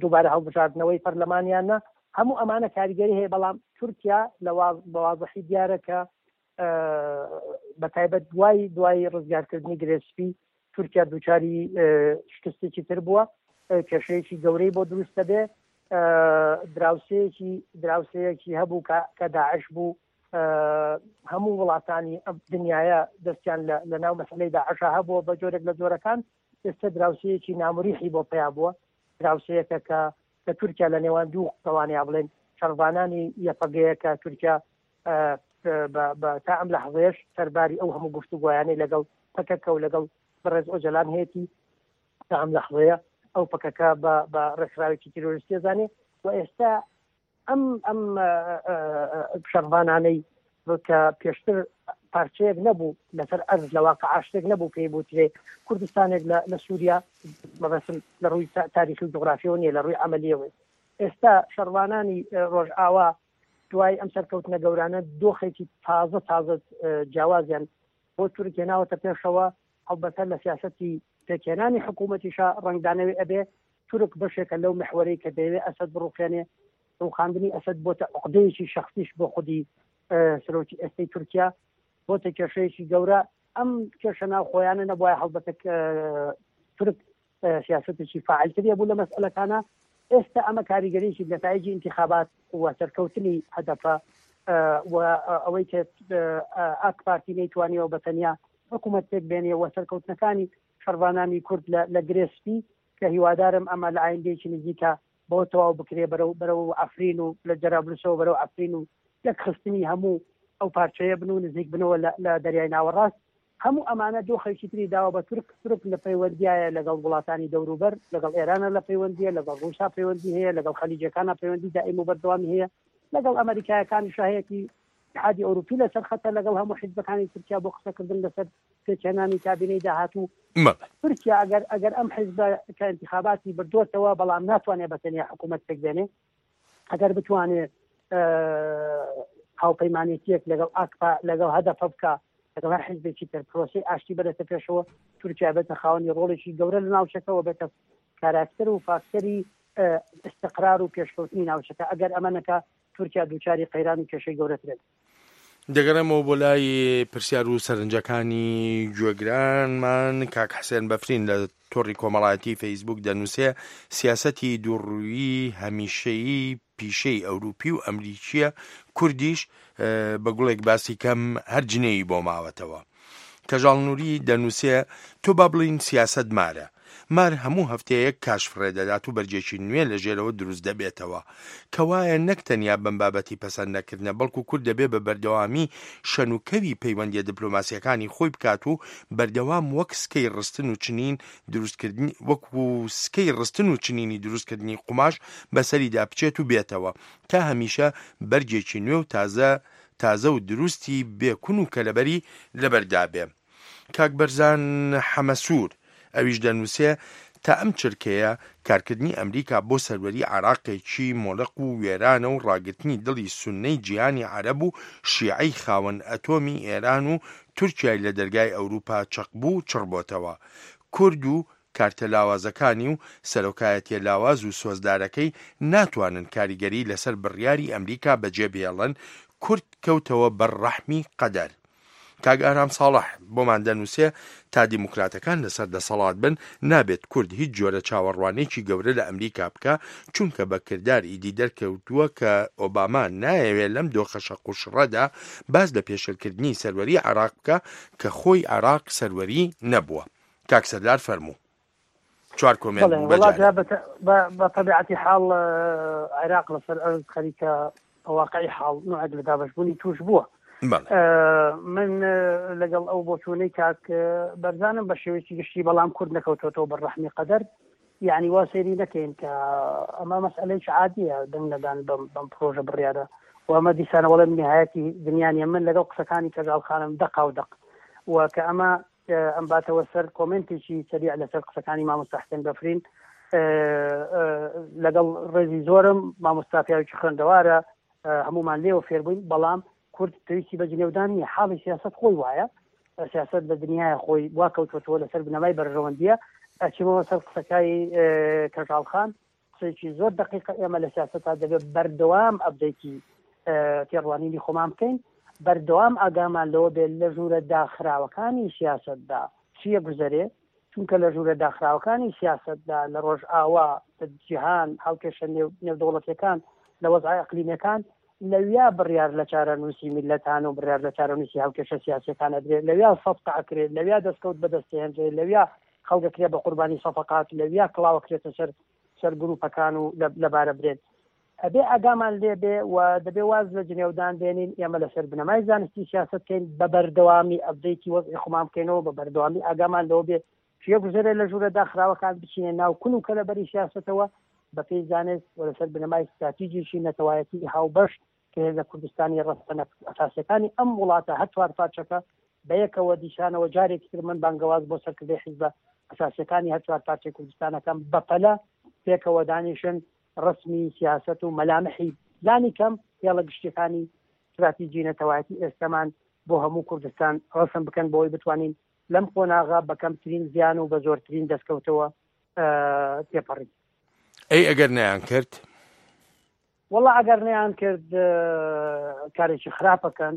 دووبارە هەڵبژاردنەوەی پەرلەمانیان نا. هەموو ئەمانە کاریگەری هەیە. بەڵام تورکیا لە بە وازحی دیارە کە بە تایبەت دوای دوای ڕزگارکردنی گرێسپی تورکیا دووچاری شکستێکی تر بووە، کێشەیەکی گەورەی بۆ دروست دەبێ. دراوسەیەکی دراوسەیەکی هەبوو کە داعش بوو، هەموو وڵاتانی دنیاە دەستیان لە ناو مەسلەی داعشا هەبووە بە جۆرێک لە جۆرەکان. ئێستا دراوسەیەکی نامریحی بۆ پیا بووە، دراوسەیەکە کە کە تورکیا لە نێوان دوو قەوانەیە بڵێن شەڕڤانانی یەپەگەیە کە تورکیا تا ئەم لەحظەیەش سەرباری ئەو هەموو گفتوگۆیانەی لەگەڵ پەکەکە و لەگەڵ بەڕێز ئۆجەلان هەیەی تا ئەم لەحظەیە ئەو پەکەکە بە ڕێکخراوێکی تیرۆریستی زانێ. و ئێستا ئەم ئەم شەڕڤانانەی کە پێشتر پارچەیەک نەبوو لەسەر ئەرز، لە واقع شتێک نەبوو پێی بوترێ کوردستانێک لە سووریا، مەبەستم لە ڕووی تاریخی و جوغرافیەوە نییە، لە ڕووی عەمەلیەوە. ئێستا شەڕوانانی ڕۆژئاوا دوای ئەم سەرکەوتنە گەورانە دۆخێکی تازە تازە جیاوازیان بۆ تورک هێناوەتە پێشەوە. هەڵبەتە لە سیاسەتی پێکهێنانی حکوومەتیشا ڕەنگدانەوەی ئەبێ. تورک بەشێکە لەو محوەرەی کە دەیەوێ ئەسەد بڕوخێنێ. ڕوخاندنی ئەسەد بۆتە عقدەیەکی شخصیش بۆ خودی سەرۆکی ئێستەی تورکیا، بۆتە کێشەیەکی گەورە. ئەم کێشە ناوخۆیانە نەبوایە هەڵبەتە تورک سیاسەتێکی فاعلتریە بوو لە مەسئلەکانە. ئێستا ئەمە کاریگەریی نەتایجی انتخابات و سەرکەوتنی هەدەفە و ئەوەی کە ئاک پارتی نەیتوانیەوە بە تەنیا حکوومەت پێک بێنێ و سەرکەوتنەکانی شەڕڤانانی کورد لە گرێسپی کە هیوادارم ئەمە لە ئایندەیەکی نزیکە بۆ تەواو بکرێ بەرەو بەرەو عەفرین و لە جەرابلوسەوە بەرەو عەفرین و یەکخستنی هەموو ئەو پارچەیە بن و نزیک بنەوە لە دەریای ناوەڕاست. هەموو ئەمانە دۆخێکی تری داوە بە تورک. تورک لە پەیوەندیایە لەگەڵ وڵاتانی دەوروبەر، لەگەڵ ئێرانە لە پەیوەندیە، لەگەڵ ڕووسا پەیوەندی هەیە، لەگەڵ خەلیجەکانە پەیوەندی دائیم و بەردەوامی هەیە، لەگەڵ ئەمریکایەکانی شاهەیەکی اتحادی ئەوروپی لەسەر خەتە، لەگەڵ هەموو حیزبەکانی تورکیا بۆ قسەکردن لەسەر پێکهێنانی کابینەی داهاتوو. تورکیا ئەگەر ئەگەر ئەم حیزبە کە انتخاباتی بردووەتەوە بەڵام ناتوانێت بە تەنیا حکوومەت پێک بێنێ، ئەگەر بتوانێت هاوپەیمانێتیەک لەگەڵ ئاکپا لەگەڵ هەدەفە بکە، لەگەڵ هەر حیزبێکی تر پرۆسەی ئاشتی بەرێتە پێشەوە، تورکیا بێتە خاوەنی ڕۆڵێکی گەورە لە ناوچەکەوە، بێتە کاراکتەر و فاکتەری استقرار و پێشکەوتنی ناوچەکە. ئەگەر ئەمە نەکا تورکیا دووچاری قەیران و کێشەی گەورەترێت. دەگەڕێمەوە بۆ لای پرسیار و سەرنجەکانی گوێگرانمان. کاک حسێن بەفرین لە تۆڕی کۆمەڵایەتی فەیسبوک دەنووسێ سیاسەتی دووڕوویی هەمیشەیی پیشەی ئەوروپی و ئەمریکیە، کوردیش بە گوڵێک باسی کەم هەر جنێی بۆ ماوەتەوە. کەژاڵ نووری دەنووسێ تۆ با بڵین سیاسەت مارە، مار هەموو هەفتەیەک کاش فڕێ دەدات و بەرگێکی نوێ لە ژێرەوە دروست دەبێتەوە. کەوایە نەک تەنیا بەم بابەتی پەسەند نەکردنە، بەڵکو کورد دەبێ بە بەردەوامی شەنوکەوی پەیوەندیە دپلۆماسیەکانی خۆی بکات و بەردەوام وەک سکەی ڕستن و چنین دروستکردنی وەکو سکەی ڕستن و چنینی دروستکردنی قوماش بەسەریدا بچێت و بێتەوە تا هەمیشە بەرگێکی نوێ و تازە تازە و دروستی بێ کون و کەلەبەری لەبەردا بێ. کاک بەرزان حەمەسوور ئەویش دەنووسێ، تا ئەم چرکەیە کارکردنی ئەمریکا بۆ سەروەری عێراقێکی مۆلەق و وێرانە و ڕاگرتنی دڵی سوننەی جیهانی عەرەب و شیعەی خاوەن ئەتۆمی ئێران و تورکیای لە دەرگای ئەوروپا چەقبوو چڕبۆتەوە. کورد و کارتە لاوازەکانی و سەرۆکایەتیە لاواز و سۆزدارەکەی ناتوانن کاریگەری لەسەر بڕیاری ئەمریکا بەجێ بهێڵن، کورد کەوتەوە بەر ڕەحمی قەدەر. کاک ئارام ساڵح بۆمان دەنووسێ، تا دیموکراتەکان لەسەر دەسەڵات بن، نابێت کورد هیچ جۆرە چاوەڕوانێکی گەورە لە ئەمریکا بکا، چونکە بە کردار ئیدی دەرکەوتووە کە ئۆباما نایەوێ لەم دۆخە شەق و شڕەدا باس لە پێشێلکردنی سەروەری عێراق بکا کە خۆی عێراق سەروەری نەبووە. کاک سەردار فەرموو. چوار کۆمێنت بەڵێ بوو بە وەڵا جارێ. جا بە بە تەبیعەتی حاڵ عێراق لەسەر ئەرز خەریکە بە واقعی حاڵ نوعێک لە دابەشبوونی تووش بووە. بەڵێ. من لەگەڵ ئەو بۆچوونەی کاک بەرزانم بە شێوەیەکی گشتی، بەڵام کورد نەکەوتۆتەوە بەر ڕەحمی قەدەر، یعنی وا سەیری نەکەین کە ئەمە مەسئلەیەکی عادیە دەنگ نەدان بەم بەم پرۆژە بڕیارە و ئەمە دیسانە وەڵێم نهایەتی دنیا نیە. من لەگەڵ قسەکانی کەژاڵ خانم دەقا و دەق و کە ئەمە ئەم باتەوە سەر کۆمنتێکی سەریع لەسەر قسەکانی مامۆستا حسێن بەفرین، لەگەڵ ڕێزی زۆرم مامۆستا پیاوێکی خوێندەوارە، هەمومان لێوە فێربووین، بەڵام کورد پێویستی بە جنێودان نییە. حاڵی سیاست خۆی وایە، سیاست لە دنیای خۆی وا کەوتوەتەوە لەسەر بنەمای بەرژەوەندیە. ئەچمەوە سەر قسەکای کەژاڵ خان، قسەیەکی زۆر دقیقە. ئێمە لە سیاسەتا دەبێت بەردەوام ئەبدەیتی تێڕوانینی خۆمان بکەین، بەردەوام ئاگامان لەوە بێت لە ژوورە داخراوەکانی سیاسەتدا چییە گوزەرێ، چونکە لە ژوورە داخراوەکانی سیاسەتدا لە ڕۆژئاوا، لە جیهان، هاوکێشە نێودەوڵەتیەکان، لە وەزعە ئەقلیمیەکان، لەویا بڕیار لە چارەنووسی میللەتان و بڕیار لە چارەنووسی هاوکێشە سیاسیەکان ئەدرێت، لەویا سەفقە ئەکرێت، لەویا دەستکەوت بەدەستهێنرێت، لەویا خەڵکەکرێت بە قوربانی سەفقات، لەویا کڵاوەکرێتە سەر سەر گروپەکان و لەبارە برێت. ئەبێ ئاگامان لێبێ و دەبێ واز لە جنێودان بێنین. ئێمە لەسەر بنەمای زانستی سیاست بکەین، بە بەردەوامی ئەبدەیتی وەزعی خۆمان بکەینەوە، بە بەردەوامی ئاگامان لەوە بێ چیە گوزەرێ لە ژوورە داخراوەکان، بچینە ناو کون و کەلەبەری سیاسەتەوە بە پێی زانست و لەسەر بنەمای ستراتیژیی نەتەوایەتی هاوبەش کە هێزە کوردستانی ڕەسەنە ئەساسیەکانی ئەم وڵاتە هەر چوار پارچەکە بەیەکەوە دیسانەوە جارێکی تر من بانگەواز بۆ سەرکردەی حیزبە ئەساسیەکانی هەر چوار پارچەی کوردستانەکەم بەپەلە پێکەوە دانیشن، ڕسمی سیاست و مەلامحی لانی کەم هێڵە گشتیەکانی استراتیژی نەتەوایەتی ئێستەمان بۆ هەموو کوردستان ڕسم بکەن، بۆی بتوانین لەم قۆناغە بە کەمترین زیان و بە زۆرترین دەستکەوتەوە تێپەڕین. ئەی ئەگەر نەیان کرد؟ وەڵا ئەگەر نەیان کرد کارێکی خراپەکەن.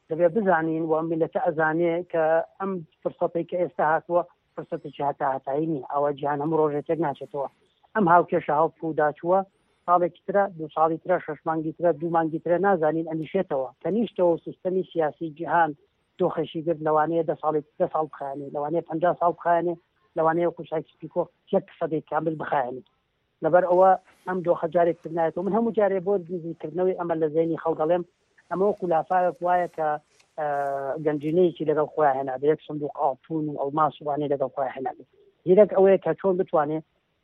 دەبێت بزانین و ئەم میللەتە ئەزانێ کە ئەم فرسەتەی کە ئێستا هاتووە فرسەتێکی هەتا هەتایی نییە، ئەوە جیهان هەموو ڕۆژێک تێک ناچێتەوە. ئەم هاوکێشە هەڵپووداچووە ساڵێکی ترە، دوو ساڵی ترە، شەش مانگی ترە، دوو مانگی ترە، نازانین ئەنیشێتەوە. کەنیشتەوە و سیستەمی سیاسی جیهان دۆخێکی گرت، لەوانەیە دە ساڵی دە ساڵ بخایەنێ، لەوانەیە پەنجا ساڵ بخایەنێ، لەوانەیە وەکو سایکس پیکۆ یەک سەدەی کامل بخایەنێ. لەبەر ئەوە ئەم دۆخە جارێک تر نایەتەوە. من هەموو جارێ بۆ نزیکردنەوەی ئەمە لە زەینی خەڵک دەڵێم، ئەمە وەکو لافاوێک وایە کە گەنجینەیەکی لەگەڵ خۆیان هێنابێ، یەک سندوق ئاڵتون و ئەڵماس وانەی لەگەڵ خۆیان هێنابێ. زیرەک ئەوەیە کە چۆن بتوانێ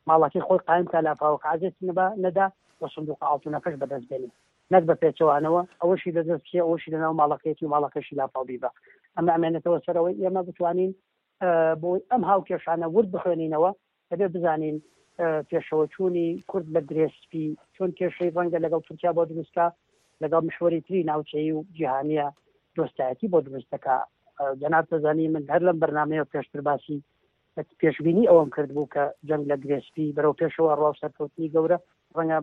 ماڵەکەی خۆی قایم کا، لافاوەکە عەزێتی نەبا نەدا و سندوق ئاڵتونەکەش بەدەست بێنێ، نەک بە پێچەوانەوە ئەوەشی لەدەست بچێ، ئەوەشی لەناو ماڵەکەیەتی و ماڵەکەشی لافاو بیبا. ئەمە ئەمێنێتەوە سەرەوەی ئێمە بتوانین بۆی ئەم هاوکێشانە ورد بخوێنینەوە. دەبێ بزانین پێشەوەچوونی کورد لە گرێ سپی چۆن کێشەی ڕەنگە لەگەڵ تورکیا بۆ دروستکا، لەگەڵ محوەری تری ناوچەیی و جیهانیە دۆستایەتی بۆ دروست دەکا. جەناب دەزانی من هەر لەم بەرنامەیە پێشتر باسی پێشبینی ئەوەم کرد بوو کە جەنگ لە گرێ سپی بەرەو پێشەوە ڕوا و سەرکەوتنی گەورە ڕەنگە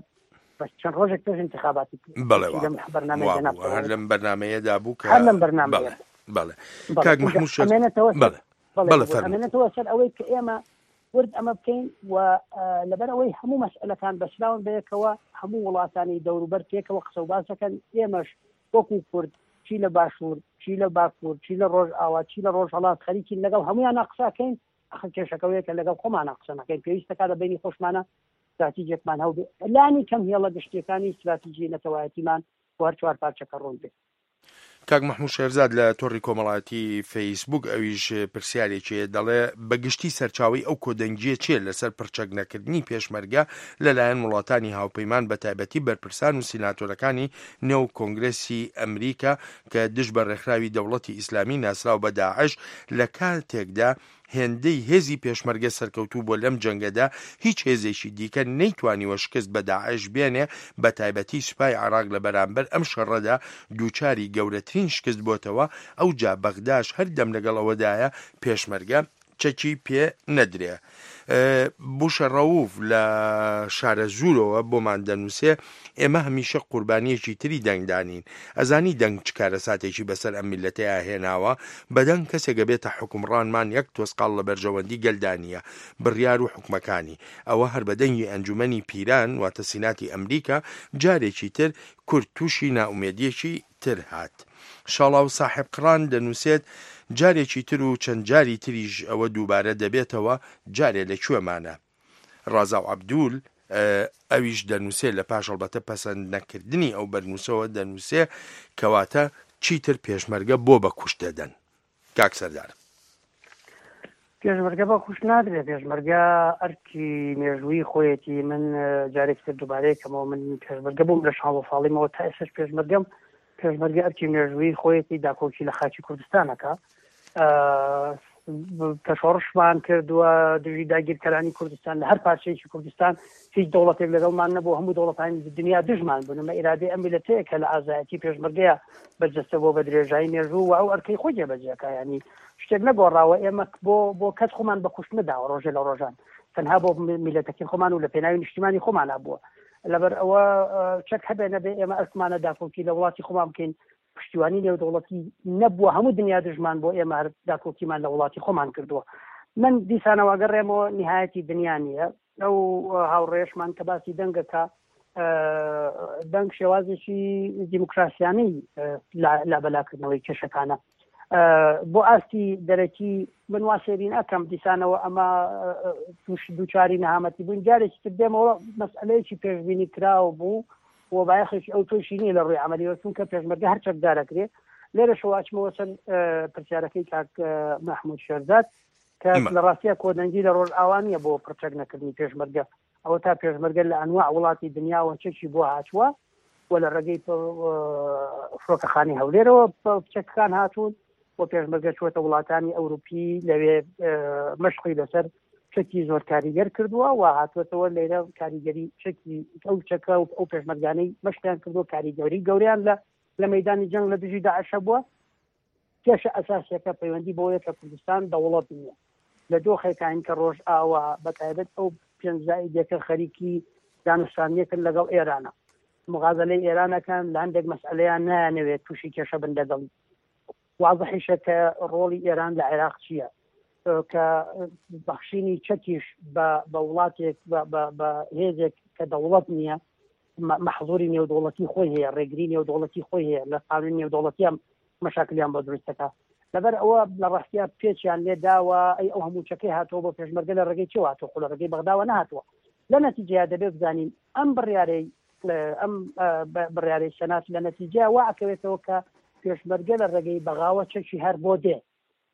بەس چەند ڕۆژێک پێش انتخاباتی بەڵێ لەم بەرنامەیە جەناب هەر لەم بەرنامەیەدا بوو کە هەر لەم بەرنامەیە بەڵێ بەڵێ کاک محمود شێخ ئەمێنێتەوە بەڵێ بەڵێ فەرموو. ئەمێنێتەوە سەر ئەوەی کە ئێمە ورد ئەمە بکەین و لەبەر ئەوەی هەموو مەسئلەکان بەسراون بەیەکەوە، هەموو وڵاتانی دەوروبەر پێکەوە قسە و باس دەکەن. ئێمەش وەکو کورد چی لە باشوور، چی لە باکوور، چی لە ڕۆژئاوا، چی لە ڕۆژهەڵات خەریکین لەگەڵ هەمویانە قسەکەین. ئەخر کێشەکەوەیە کە لەگەڵ خۆمانە قسە نەکەین، پێویستەکە لە بینی خۆشمانە استراتیژێکمان هەبێ، لانی کەم هێڵە گشتیەکانی استراتیژی نەتەوایەتیمان بۆ هەر چوار پارچەکە ڕوون بێت. کاک مەحموود شێرزاد لە تۆڕی کۆمەڵایەتی فەیسبوک ئەویش پرسیارێکی دەڵێ بە گشتی سەرچاوەی ئەو کۆدەنگیە چییە لەسەر پرچەک نەکردنی پێشمەرگە لەلایەن وڵاتانی هاوپەیمان بە تایبەتی بەرپرسان و سیناتۆرەکانی نێو کۆنگرێسی ئەمریکا کە دژ بە ڕێکخراوی دەوڵەتی ئیسلامی ناسراو بە داعش لە کاتێکدا هێندەی هێزی پێشمەرگە سەرکەوتوو بۆ لەم جەنگەدا هیچ هێزێکی دیکە نەیتوانیوە شکست بە داعش بێنێ، بە تایبەتی سوپای عێراق لە بەرامبەر ئەم شەڕەدا دووچاری گەورەترین شکست بۆتەوە، ئەوجا بەغداش هەردەم لەگەڵ ئەوەدایە پێشمەرگە چەکی پێ نەدرێ. بوشە ڕەوف لە شارەزوورەوە بۆمان دەنووسێ ئێمە هەمیشە قوربانیەکی تری دەنگدانین، ئەزانی دەنگ چ کارەساتێکی بەسەر ئەم میلەتەیە هێناوە، بەدەنگ کەسێک بێتە حوکمڕانمان یەک تۆسقاڵ لە بەرژەوەندی گەلدا نییە، بڕیار و حکومەکانی ئەوە هەر بەدەنگی ئەنجومەنی پیران واتە سیناتی ئەمریکا جارێکی تر کورد تووشی نائومێدیەکی تر هات. شاڵاو ساحێب قڕان دەنووسێت جارێکی تر و چەند جاری تریش ئەوە دووبارە دەبێتەوە، جارێ لە کوێمانە. ڕازاو عەبدول ئەویش دەنووسێ لە پاش هەڵبەتە پەسەند نەکردنی ئەو بەرنووسەوە دەنووسێ کەواتە چیتر پێشمەرگە بۆ بە کوشت دەدەن. کاک سەردار، پێشمەرگە بە کوشت نادرێت، پێشمەرگە ئەرکی مێژووی خۆیەتی. من جارێکی تر دووبارەیەکەمەوە، من پێشمەرگە بووم لە شانزە ساڵیمەوە تا ئێستاش پێشمەرگەم. پێشمەرگە ئەرکی مێژووی خۆیەتی داکۆکی لە خاکی کوردستانەکە، کە شۆڕشمان کردووە دژی داگیرکەرانی کوردستان لە هەر پارچەیەکی کوردستان هیچ دەوڵەتێک لەگەڵمان نەبوو، هەموو دەوڵەتانی دنیا دژمان بوون. ئەمە ئیرادەی ئەم میللەتەیە کە لە ئازایەتی پێشمەرگەیە بەرجەستە بۆ بە درێژایی مێژوو و ئەو ئەرکەی خۆی جێبەجێکا. ینی شتێک نەگۆڕاوە، ئێمە بۆ بۆ کەس خۆمان بە کوشت نەداوە ڕۆژێ لە ڕۆژان، تەنها بۆ میللەتەکەی خۆمان و لە پێناوی نیشتیمانی خۆمانە بووە. لەبەر ئەوە چەک هەبێ نەبێ ئێمە ئەرکمانە داکۆکی لە وڵاتی خۆمان بکەین. پشتیوانی نێودەوڵەتی نەبووە، هەموو دنیا دژمان بۆ ئێمە هەر داکۆکیمان لە وڵاتی خۆمان کردووە. من دیسانەوە گەڕێمەوە نهایەتی دنیا نییە. ئەو هاوڕێشمان کە باسی دەنگەکە، دەنگ شێوازێکی دیموکراسیانەی لابەلاکردنەوەی کێشەکانە بۆ ئاستی دەرەکی. من وا سێری ناکەم دیسانەوە ئەمە توش دووچاری نەهامەتی بووین. جارێکی تر دێمەوە مەسئلەیەکی پێشبینی کراوە بوو و بایەخێکی ئەو تۆشی نییە لە ڕووی عەمەلیەوە، چونکە پێشمەرگە هەر چەکدارەکرێ. لێرەشەوە ئەچمەوە سەر پرسیارەکەی کاک مەحموود شێرزاد کە لە ڕاستیە کۆدەنگی لە ڕۆژئاوا نییە بۆ پرچەک نەکردنی پێشمەرگە. ئەوە تا پێشمەرگە لە ئەنواع وڵاتی دنیاوە چەکی بۆ هاتووە و لە ڕێگەی فڕۆکەخانەی هەولێرەوە چەکەکان هاتوون و پێشمەرگە چووەتە وڵاتانی ئەوروپی لەوێ مەشقی لەسەر چەکی زۆر کاریگەر کردووە و هاتووەتەوە لێرە کاریگەری چەکی ئەو چەکە و ئەو پێشمەرگانەی مەشقیان کردووە کاریگەری گەوریان لە لە مەدانی جەنگ لە دژی داعشە بووە. کێشە ئەساسیەکە پەیوەندی بۆیە کە کوردستان دەوڵەت نییە. لە دۆخێکین کە ڕۆژ ئاوا بە تایبەت ئەو پێنج زائیدێکە خەریکی دانوستانیەکن لەگەڵ ئێرانە، مغازلەی ئێرانەکان لە هەندێک مەسئلەیان نایانەوێت تووشی کێشە بن لەگەڵی. واضحیشە کە ڕۆڵی ئێران لە عێراق چییە، کە بەخشینی چەکیش بە وڵاتێک بە هێزێک کە دەوڵەت نییە مەحظوری نێودەوڵەتی خۆی هەیە، ڕێگری نێودەوڵەتی خۆی هەیە، لە قانون نێودەوڵەتیان مەشاکلیان بۆ دروستەکە. لەبەر ئەوە لە ڕاستیا پێچیان لێ داوە ئەی ئەو هەموو چەکەی هاتووە بۆ پێشمەرگە لە ڕێگەی چێوە هاتووە، خۆ لە ڕێگەی بەغداوە نەهاتووە. لە نەتیجەیە دەبێت بزانین ئەم بڕیارەی ئەم بڕیارەی سەنات لە نەتیجەیە وا ئەکەوێتەوە کە پێشمەرگە لە ڕێگەی بەغاوە چەکی هەر بۆ دێ.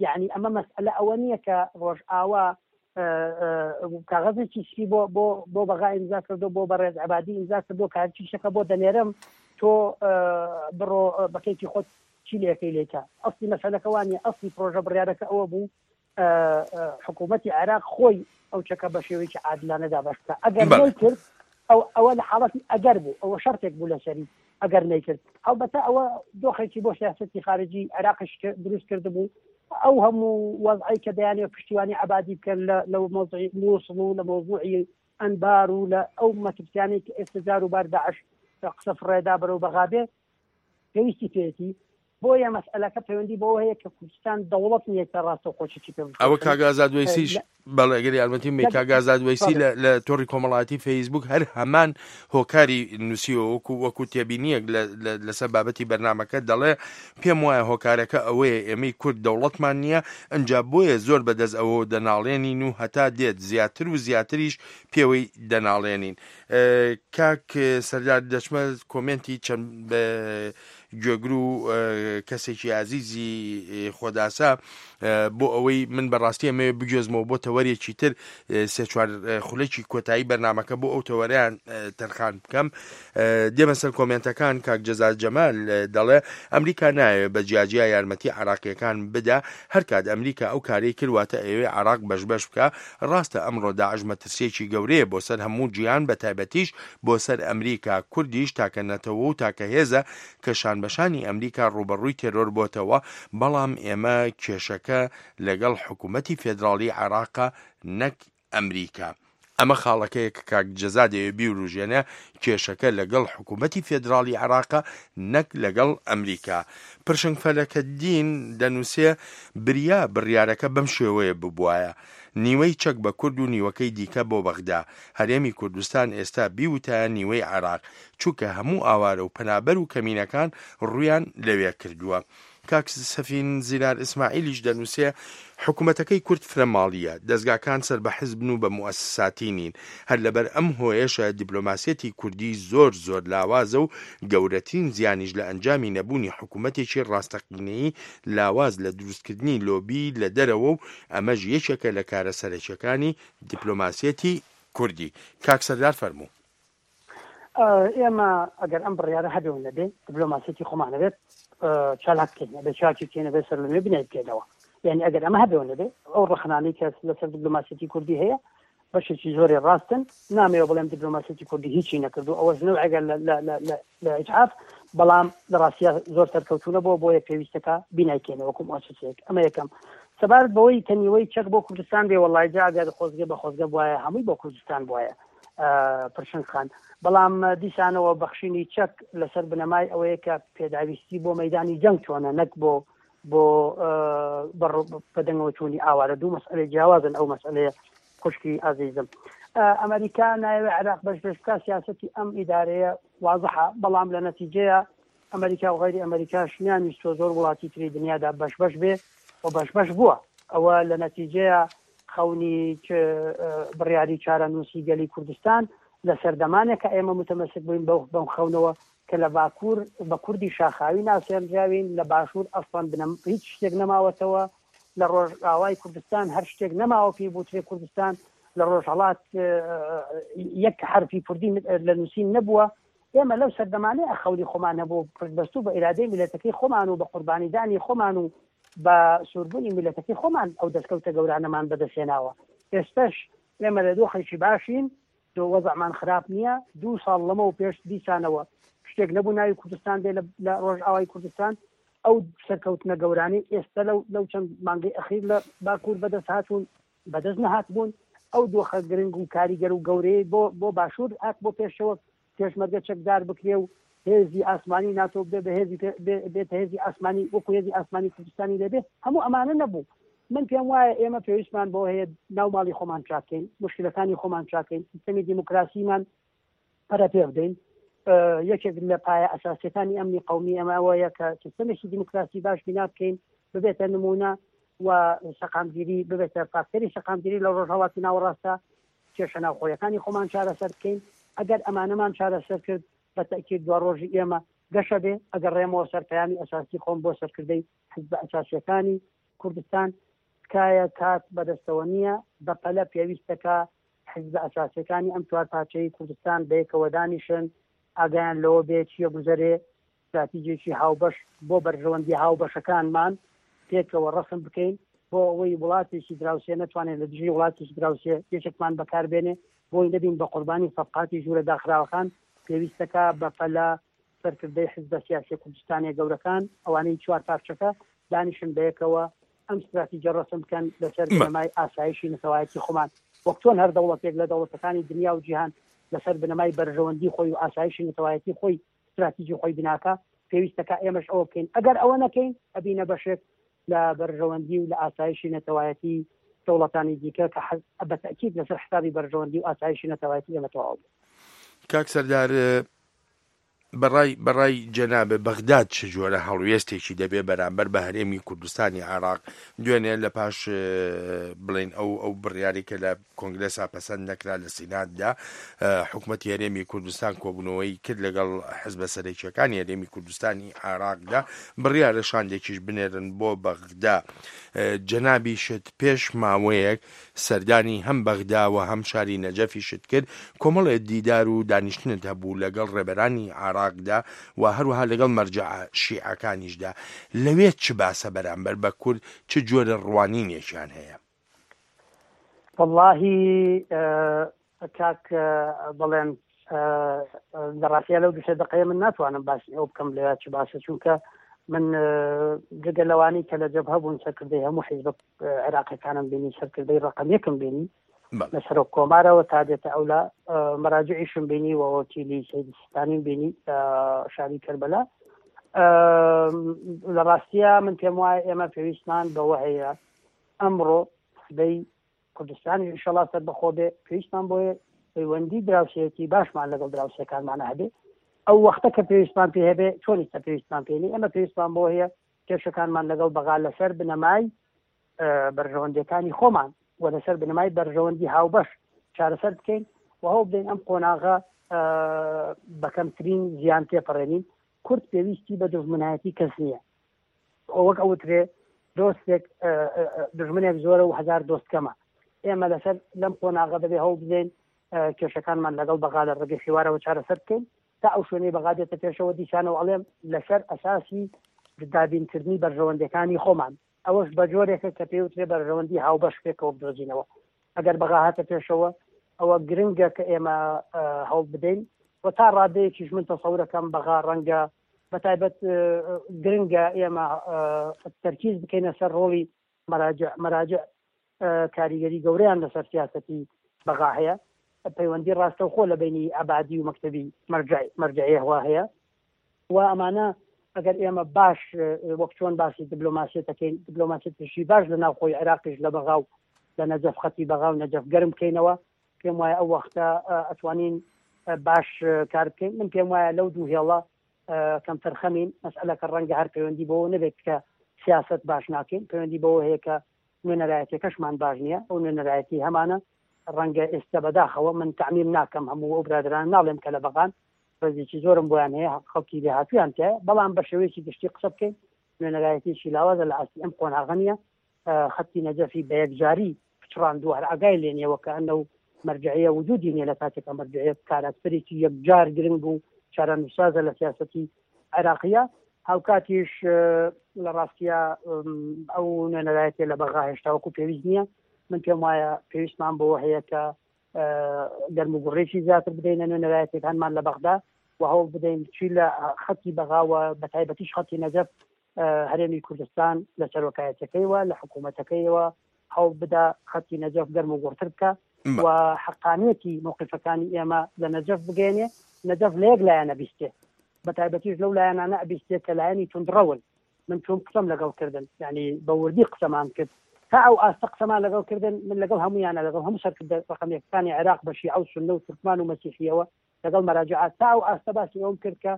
یعنی ئەمە مەسئلە ئەوە نییە کە ڕۆژئاوا کاغەزێکی سپی بۆ بۆ بۆ بەغا ئیمزا کردو بۆ بەڕێز عەبادی ئیمزا کردو کە هەرچی شەکە بۆ دەنێرم تۆ بڕۆ بەکەیتی خۆت چی لێکەی لێکە. ئەسلی مەسەلەکە وانیە. ئەسلی پرۆژە بڕیارەکە ئەوە بوو حکوومەتی عێراق خۆی ئەو چەکە بە شێوەیەکی عادلانە دابەش بکە. ئەگەر نەیکرد ئەو ئەوە لە حاڵەتی ئەگەر بوو، ئەوە شەرتێک بوو لەسەری ئەگەر نەیکرد. هەڵبەتە ئەوە دۆخێکی بۆ سیاسەتی خارجی عێراقیش دروست کردبوو. ئەو هەموو وەزعی کە دەیانەوێت پشتیوانی عەبادی بکەن لە مەوزوعی مووسڵ و لە مەوزوعی ئەنبار و لە ئەو مەترسیانەی کە ئێستا جار و بار داعش قسە فڕێدا بەرەو بەغابێ پێویستی پێیەتی. بۆیە مەسئلەکە پەیوەندی بەوە هەیە کە کوردستان دەوڵەت نییە کە ڕاستەوخۆ چەکی پێ ئەوە بفرۆشن. کاک ئازاد وەیسیش لە بەڵێ ئەگەر یارمەتیم بی لە کاک ئازاد وەیسی بەڵێ لە لە تۆڕی کۆمەڵایەتی فەیسبوک هەر هەمان هۆکاری نووسیوە وەکو وەکو تێبینیەک لە لە- لەسەر بابەتی بەرنامەکە دەڵێ پێم وایە هۆکارەکە ئەوەیە ئێمەی کورد دەوڵەتمان نییە، ئەنجا بۆیە زۆر بەدەست ئەوە دەناڵێنین و هەتا دێت زیاتر و زیاتریش پێوەی دەناڵێنین. کاک سەردار دەچمە کۆمێنتی چەند گوێگر و کەسێکی ئازیزی خۆداسا بۆ ئەوەی من بەڕاستی ئەمەوێ بگوێزمەوە بۆ تەوەرێکی تر سێ چوار خولەکی کۆتایی بەرنامەکە بۆ ئەو تەوەریان تەرخان بکەم. دێمە سەر کۆمێنتەکان. کاک جەزا جەمال دەڵێ ئەمریکا نایەوێ بە جیاجیا یارمەتی عراقیەکان بدا، هەرکات ئەمریکا ئەو کارەی کردواتە ئەوێ عراق بەش بەش بکە. ڕاستە ئەمڕۆ داعش مەترسیەکی گەورەیە بۆ سەر هەموو جیهان، بە تایبەتیش بۆ سەر ئەمریکا. کوردیش تاکە نەتەوە و تاکە هێزە کە شانبەشانی ئەمریکا ڕووبەڕووی تێرۆر بۆتەوە، بەڵام ئێمە کێشەکە لەگەڵ حکوومەتی فێدراڵی عێراقە نەک ئەمریکا. ئەمە خاڵەکەیە کە کاک جەزا دەیەوێ بیوروژێنێ، کێشەکە لەگەڵ حکوومەتی فێدراڵی عێراقە نەک لەگەڵ ئەمریکا. پرشنگ فەلەکەدین دەنووسێ بریا بڕیارەکە بەم شێوەیە ببوایە، نیوەی چەک بە کورد و نیوەکەی دیکە بۆ بەغدا. هەرێمی کوردستان ئێستا بیوتایە نیوەی عێراق، چونکە هەموو ئاوارە و پەنابەر و کەمینەکان ڕوویان لەوێ کردووە. کاک سەفین زیرار ئیسماعیلیش دەنووسێ حکوومەتەکەی کورد فرە ماڵیە، دەزگاکان سەر بە حزبن و بە موئەسساتی نین. هەر لەبەر ئەم هۆیەشە دیپلۆماسیەتی کوردی زۆر زۆر لاوازە و گەورەترین زیانیش لە ئەنجامی نەبوونی حکوومەتێکی ڕاستەقینەیی لاواز لە دروستکردنی لۆبی لە دەرەوە و ئەمەش یەکێکە لە کارە سەرەکیەکانی دیپلۆماسیەتی کوردی. کاک سەردار فەرموو. ئێمە ئەگەر ئەم بڕیارە هەبێ و نەبێ دیپلۆماسیەتی خۆمان هەبێت چالاک بکەین، ئەبێ چاکی بکەین، ئەبێ سەرلەنوێ بنای بکەینەوە. یعنی ئەگەر ئەمە هەبێ و نەبێ ئەو ڕەخنانەی کە لەسەر دیپلۆماسیەتی کوردی هەیە بەشێکی زۆری ڕاستن. نامەوێ بڵێم دیپلۆماسیەتی کوردی هیچی نەکردو، ئەوەش نەوعێکە لە ئیجحاف، بەڵام لە ڕاستیە زۆر سەرکەوتوونە بۆ بۆیە پێویستەکە بینایکەینەوە وەکو مؤسسەیەک. ئەمە یەکەم. سەبارەت بەوەی کە نیوەی چەک بۆ کوردستان بێ، وەڵای جا ئەگەر خۆزگە بە خۆزگە بوایە هەمووی بۆ کوردستان بوایە پرشنگ خان، بەڵام دیسانەوە بەخشینی چەک لەسەر بنەمای ئەوەیە کە پێداویستی بۆ مەدانی جەنگ چۆنە نەک بۆ بۆ بەدەنگەوە چوونی ئاوارە. دوو مەسئلەی جیاوازن ئەو مەسئلەیە خوشکی ئازیزم. ئەمریکا نایەوێ عێراق بەش بەش بکا، سیاسەتی ئەم ئیدارەیە وازحە، بەڵام لە نەتیجەیە ئەمریکا و غەیری ئەمریکاش نیانویستوە زۆر وڵاتی تری دنیادا بەش بەش بێ و بەش بەش بووە. ئەوە لە نەتیجەیە خەونی بڕیاری چارەنووسی گەلی کوردستان لە سەردەمانێک کە ئێمە متەمەسک بووین بەم خەونەوە کە لە باکوور بە کوردی شاخاوی ناسێنراوین، لە باشوور ئەسڵەن بنەم هیچ شتێک نەماوەتەوە، لە ڕۆژئاوای کوردستان هەر شتێک نەماوە پێی بوترێ کوردستان، لە ڕۆژهەڵات یەک حرفی کوردی لە نووسین نەبووە. ئێمە لەو سەردەمانەیە خەونی خۆمان هەبوو، پشتبەستوو بە ئیرادەی میللەتەکەی خۆمان و بە قوربانیدانی خۆمان و بە سووربوونی میللەتەکەی خۆمان ئەو دەستکەوتە گەورانەمان بەدەستهێناوە. ئێستش ئێمە لە دۆخێکی باشین، دۆ وەزعمان خراپ نییە. دوو ساڵ لەمەو پێش دیسانەوە شتێک نەبوو ناوی کوردستان بێ لە ڕۆژئاوای کوردستان. ئەو سەرکەوتنە گەورانەی ئێستا لەو لەو چەند مانگەی ئەخیر لە باکوور بەدەست هاتوون بەدەست نەهاتبوون. ئەو دۆخە گرنگ و کاریگەر و گەورەیە بۆ بۆ باشوور هات بۆ پێشەوە، پێشمەرگە چەکدار بکرێ و هێزی ئاسمانی ناتۆ بێ بە هێزی بێتە هێزی ئاسمانی وەکو هێزی ئاسمانی کوردستانی لێبێ. هەموو ئەمانە نەبوو. من پێم وایە ئێمە پێویستمان بۆ هەیە ناو ماڵی خۆمان چاکەین، مشکلەکانی خۆمان چاکەین، سیستەمی دیموکراسیمان پەرە پێ بدەین. یەکێک لە پایە ئەساسیەکانی ئەمنی قەومی ئەمە ئەوەیە کە سیستەمێکی دیموکراسی باش بینا بکەین، ببێتە نمونە و سەقامگیری، ببێتە فاکتەری سەقامگیری لە ڕۆژهەڵاتی ناوەڕاستە، کێشە ناوخۆیەکانی خۆمان چارەسەر بکەین. ئەگەر ئەمانەمان چارەسەر کرد بە تەئکید دوا ڕۆژی ئێمە گەشە بێ. ئەگەر ڕێمەوە سەر پەیامی ئەساسی خۆم بۆ سەرکردەی حزبە ئەساسیەکانی کوردستان، تکایە کات بەدەستەوە نییە، بەپەلە پێویستەکە حزبە ئەساسیەکانی ئەم چوار پارچەی کوردستان بەیەکەوە دانیشن، ئاگایان لەوە بێ چییە گوزەرێ، استراتیجێکی هاوبەش بۆ بەرژەوەندی هاوبەشەکانمان پێکەوە ڕەسم بکەین، بۆ ئەوەی وڵاتێکی دراوسێ نەتوانێت لە دژی وڵاتێکی دراوسێ یەکێکمان بەکاربێنێ، بۆی نەبین بە قوربانی سەفقاتی ژوورە داخراوەکان. پێویستەکە بەپەلە سەرکردەی حزبە سیاسیە کوردستانیە گەورەکان ئەوانەی چوار پارچەکە دانیشن بەیەکەوە ئەم استراتیجە ڕەسم بکەن لەسەر بنەمای ئاسایشی نەتەوایەتی خۆمان، وەک چۆن هەر دەوڵەتێک لە دەوڵەتەکانی دنیا و جیهان لەسەر بنەمای بەرژەوەندی خۆی و ئاسایشی نەتەوایەتی خۆی استراتیجی خۆی بناکە. پێویستەکە ئێمەش ئەوە بکەین. ئەگەر ئەوە نەکەین ئەبینە بەشێک لە بەرژەوەندی و لە ئاسایشی نەتەوایەتی دەوڵەتانی دیکە کە بە تەئکید لەسەر حسابی بەرژەوەندی و ئاسایشی نەتەوایەتی ئێمە تەواو بوو. کاک سەردار، بەڕای بەڕای جەنابت بەغداد چ جۆرە هەڵوێستێکی دەبێ بەرامبەر بە هەرێمی کوردستانی عێراق؟ دوێنێ لە پاش بڵێن ئەو ئەو بڕیاری کە لە کۆنگرێسا پەسەند نەکرا لە سیناتدا، حکوومەتی هەرێمی کوردستان کۆبوونەوەی کرد لەگەڵ حزبە سەرەکیەکانی هەرێمی کوردستانی عێراقدا، بڕیارە شاندێکیش بنێرن بۆ بەغدا. جەنابیشت پێش ماوەیەک سەردانی هەم بەغدا و هەم شاری نەجەفیشت کرد، کۆمەڵێ دیدار و دانیشتنت هەبوو لەگەڵ ڕێبەرانی عێراقدا و هەروەها لەگەڵ مەرجەعە شیعەکانیشدا. لەوێ چ باسە بەرامبەر بە کورد، چ جۆرە ڕوانینێکیان هەیە؟ واللهی کاک بڵێن لە ڕاستیە لەو دوو سێ دەقەیە من ناتوانم باسی ئەو بکەم لەوێ چ باسە، چونکە من جگە لەوانەی کە لە جەبهە بوون سەرکردەی هەموو حیزبە عێراقیەکانم بینی، سەرکردەی ڕەقەم یەکم بینی لە سەرۆک کۆمارەوە تا دێتە ئەولا مەراجعیشم بینی و وەکیلی سەید سیستانیم بینی شاری کەربەلا. لە ڕاستیە من پێم وایە ئێمە پێویستمان بەوە هەیە ئەمڕۆ سبەی کوردستانی ئینشەڵا سەربەخۆ بێ، پێویستمان بۆیە پەیوەندی دراوسێتی باشمان لەگەڵ دراوسێکانمانە هەبێ. ئەو وەختە کە پێویستمان پێ هەبێ چۆن ئێستا پێویستمان پێ نییە، ئێمە پێویستمان بۆ هەیە کێشەکانمان لەگەڵ بەغا لەسەر بنەمای بەرژەوەندیەکانی خۆمان و لەسەر بنەمای بەرژەوەندی هاوبەش چارەسەر بکەین و هەوڵ بدەین ئەم قۆناغە بە کەمترین زیان تێپەڕێنین. کورد پێویستی بە دوژمنایەتی کەس نییە، وەک ئەوترێ دۆستێک دژمنێک زۆرە و هەزار دۆست کەمە. ئێمە لەسەر لەم قۆناغە دەبێ هەوڵ بدەین کێشەکانمان لەگەڵ بەغا لە ڕێگەی حیوارەوە چارەسەر بکەین تا ئەو شوێنەی بەغا دێتە پێشەوە. دیسانەوە ئەڵێم لەسەر ئەساسی دابینکردنی بەرژەوەندیەکانی خۆمان، ئەوەش بە جۆرێکە کە پێوترێ بەرژەوەندی هاوبەش پێکەوە بدۆزینەوە. ئەگەر بەغا هاتە پێشەوە ئەوە گرنگە کە ئێمە هەوڵ بدەین و تا ڕادەیەکیش من تەسەورەکەم بەغا ڕەنگە بە تایبەت گرنگە ئێمە تەرکیز بکەینە سەر ڕۆڵی مەراجع. مەراجع کاریگەری گەورەیان لەسەر سیاسەتی بەغا هەیە، پەیوەندی ڕاستەوخۆ لە بینی عەبادی و مەکتەبی مەرجعیەوە هەیە و ئەمانە ئەگەر ئێمە باش وەک چۆن باسی دیبلۆماسیەتەکەین، دیبلۆماسیەتێکی باش لە ناوخۆی عێراقیش لە بەغا و لە نەجەف خەتی بەغا و نەجەف گەرم بکەینەوە، پێم وایە ئەو وەختە ئەتوانین باش کار بکەین. من پێم وایە لەو دوو هێڵە کەمتر خەمین. مەسئلەکە ڕەنگە هەر پەیوەندی بەوە نەبێت کە سیاست باش ناکەین، پەیوەندی بەوە هەیە کە نوێنەرایەتیەکەشمان باش نییە. ئەو نوێنەرایەتی هەمانە ڕەنگە ئێستا بەداخەوە من تەعمیم ناکەم، هەموو ئەو برادران ناڵێم کە لە بەغان ڕێزێکی زۆرم بۆیان هەیە، خەڵکی لێهاتوویان تایە، بەڵام بە شێوەیەکی گشتی قسە بکەین نوێنەرایەتیەکی لاوازە لە ئاستی ئەم قۆناغە نییە. خەتی نەجەفی بە یەکجاری پچڕاندووە، هەر ئاگای لێ نییە وەکە ئەنە و مەرجعیە وجودی نییە لە کاتێکە مەرجعیە کاراکتەرێکی یەکجار گرنگ و چارەنووسازە لە سیاسەتی عێراقیە. هاوکاتیش لە ڕاستیە ئەو نوێنەرایەتیە لە بەغا هێشتا وەکو پێویست نییە. من پێم وایە پێویستمان بەوە هەیە کە گەرم و گوڕێکی زیاتر بدەینە نوێنەرایەتیەکانمان لە بەغدا و هەوڵ بدەین چی لە خەتی بەغاوە بە تایبەتیش خەتی نەجەف هەرێمی کوردستان لە سەرۆکایەتەکەیوە لە حکوومەتەکەیەوە هەوڵ بدا خەتی نەجەف گەرم و گوڕتر بکە و حەقانیەتی موقفەکانی ئێمە لە نەجەف بگەێنێ. نەجەف لە یەک لایەنە بیستێ، بە تایبەتیش لەو لایەنانە ئەبیستێ کە لایەنی توندڕەون. من چۆن قسەم لەگەڵ کردن، یعنی بە وردی قسەمان کرد تا ئەو ئاستە قسەمان لەگەڵ کردن، من لەگەڵ هەمویانە لەگەڵ هەموو سەرکردە ڕەقەمیەکانی عێراق بە شیعە و سوننە و تورکمان و مەسیحیەوە لەگەڵ مەراجعات تا ئەو ئاستە باسی ئەوم کرد کە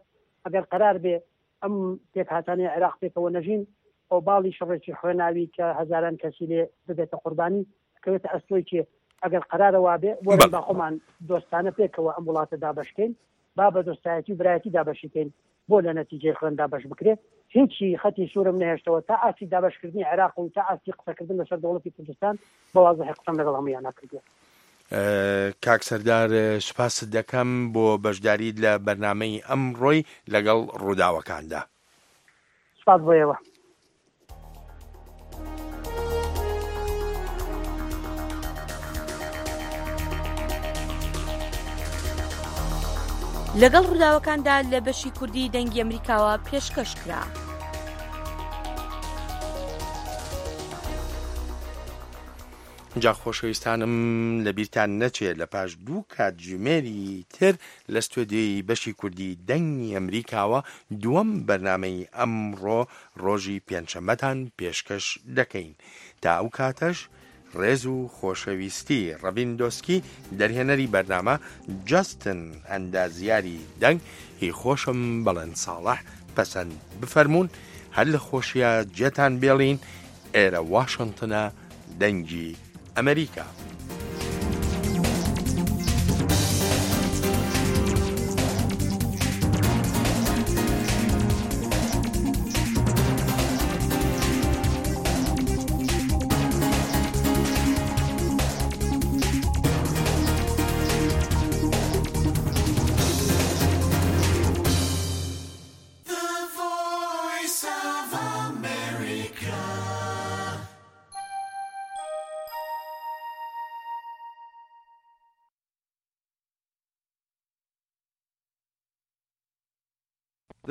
ئەگەر قەرار بێ ئەم پێکهاتانەی عێراق پێکەوە نەژین، ئەو باڵی شەڕێکی خوێناوی کە هەزاران کەسی لێ ببێتە قوربانی بکەوێتە ئەستۆی کێ؟ ئەگەر قەرارە وابێ وەرن با خۆمان دۆستانە پێکەوە ئەم وڵاتە دابەشکەین، با بە دۆستایەتی و برایەتی دابەشیکەین، بۆ لە نەتیجەی خوێن دابەش بکرێ. هیچی خەتی سوورم نەهێشتەوە تا ئاستی دابەشکردنی عێراق و تا ئاستی قسەکردن لەسەر دەوڵەتی کوردستان بە وازحی قسەم لەگەڵ هەموویانە کردووە. کاک سەردار سوپاست دەکەم بۆ بەشداریت لە بەرنامەی ئەمڕۆی لەگەڵ ڕووداوەکاندا. سوپاس بۆ ئێوە. لەگەڵ ڕووداوەکاندا لە بەشی کوردی دەنگی ئەمریکاوە پێشکەش کرا. جا خۆشەویستانم لەبیرتان نەچێت لە پاش دوو کاتژمێری تر لە ستۆدیۆی بەشی کوردی دەنگی ئەمریکاوە دووەم بەرنامەی ئەمڕۆ ڕۆژی پێنجشەممەتان پێشکەش دەکەین. تا ئەو کاتەش ڕێز و خۆشەویستی ڕەڤین دۆسکی دەرهێنەری بەرنامە، جەستن ئەندازیاری دەنگ، هی خۆشم بەڵێن ساڵح پەسەند بفەرموون، هەر لە خۆشیا جێتان بێڵین، ئێرە واشنتنە دەنگی ئەمریکا.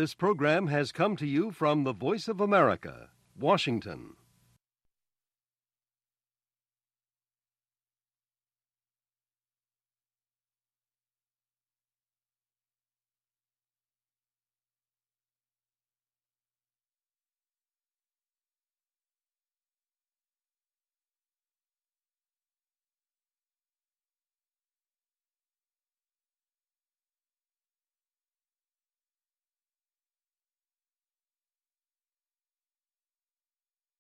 This program has come to you from the Voice of America, Washington.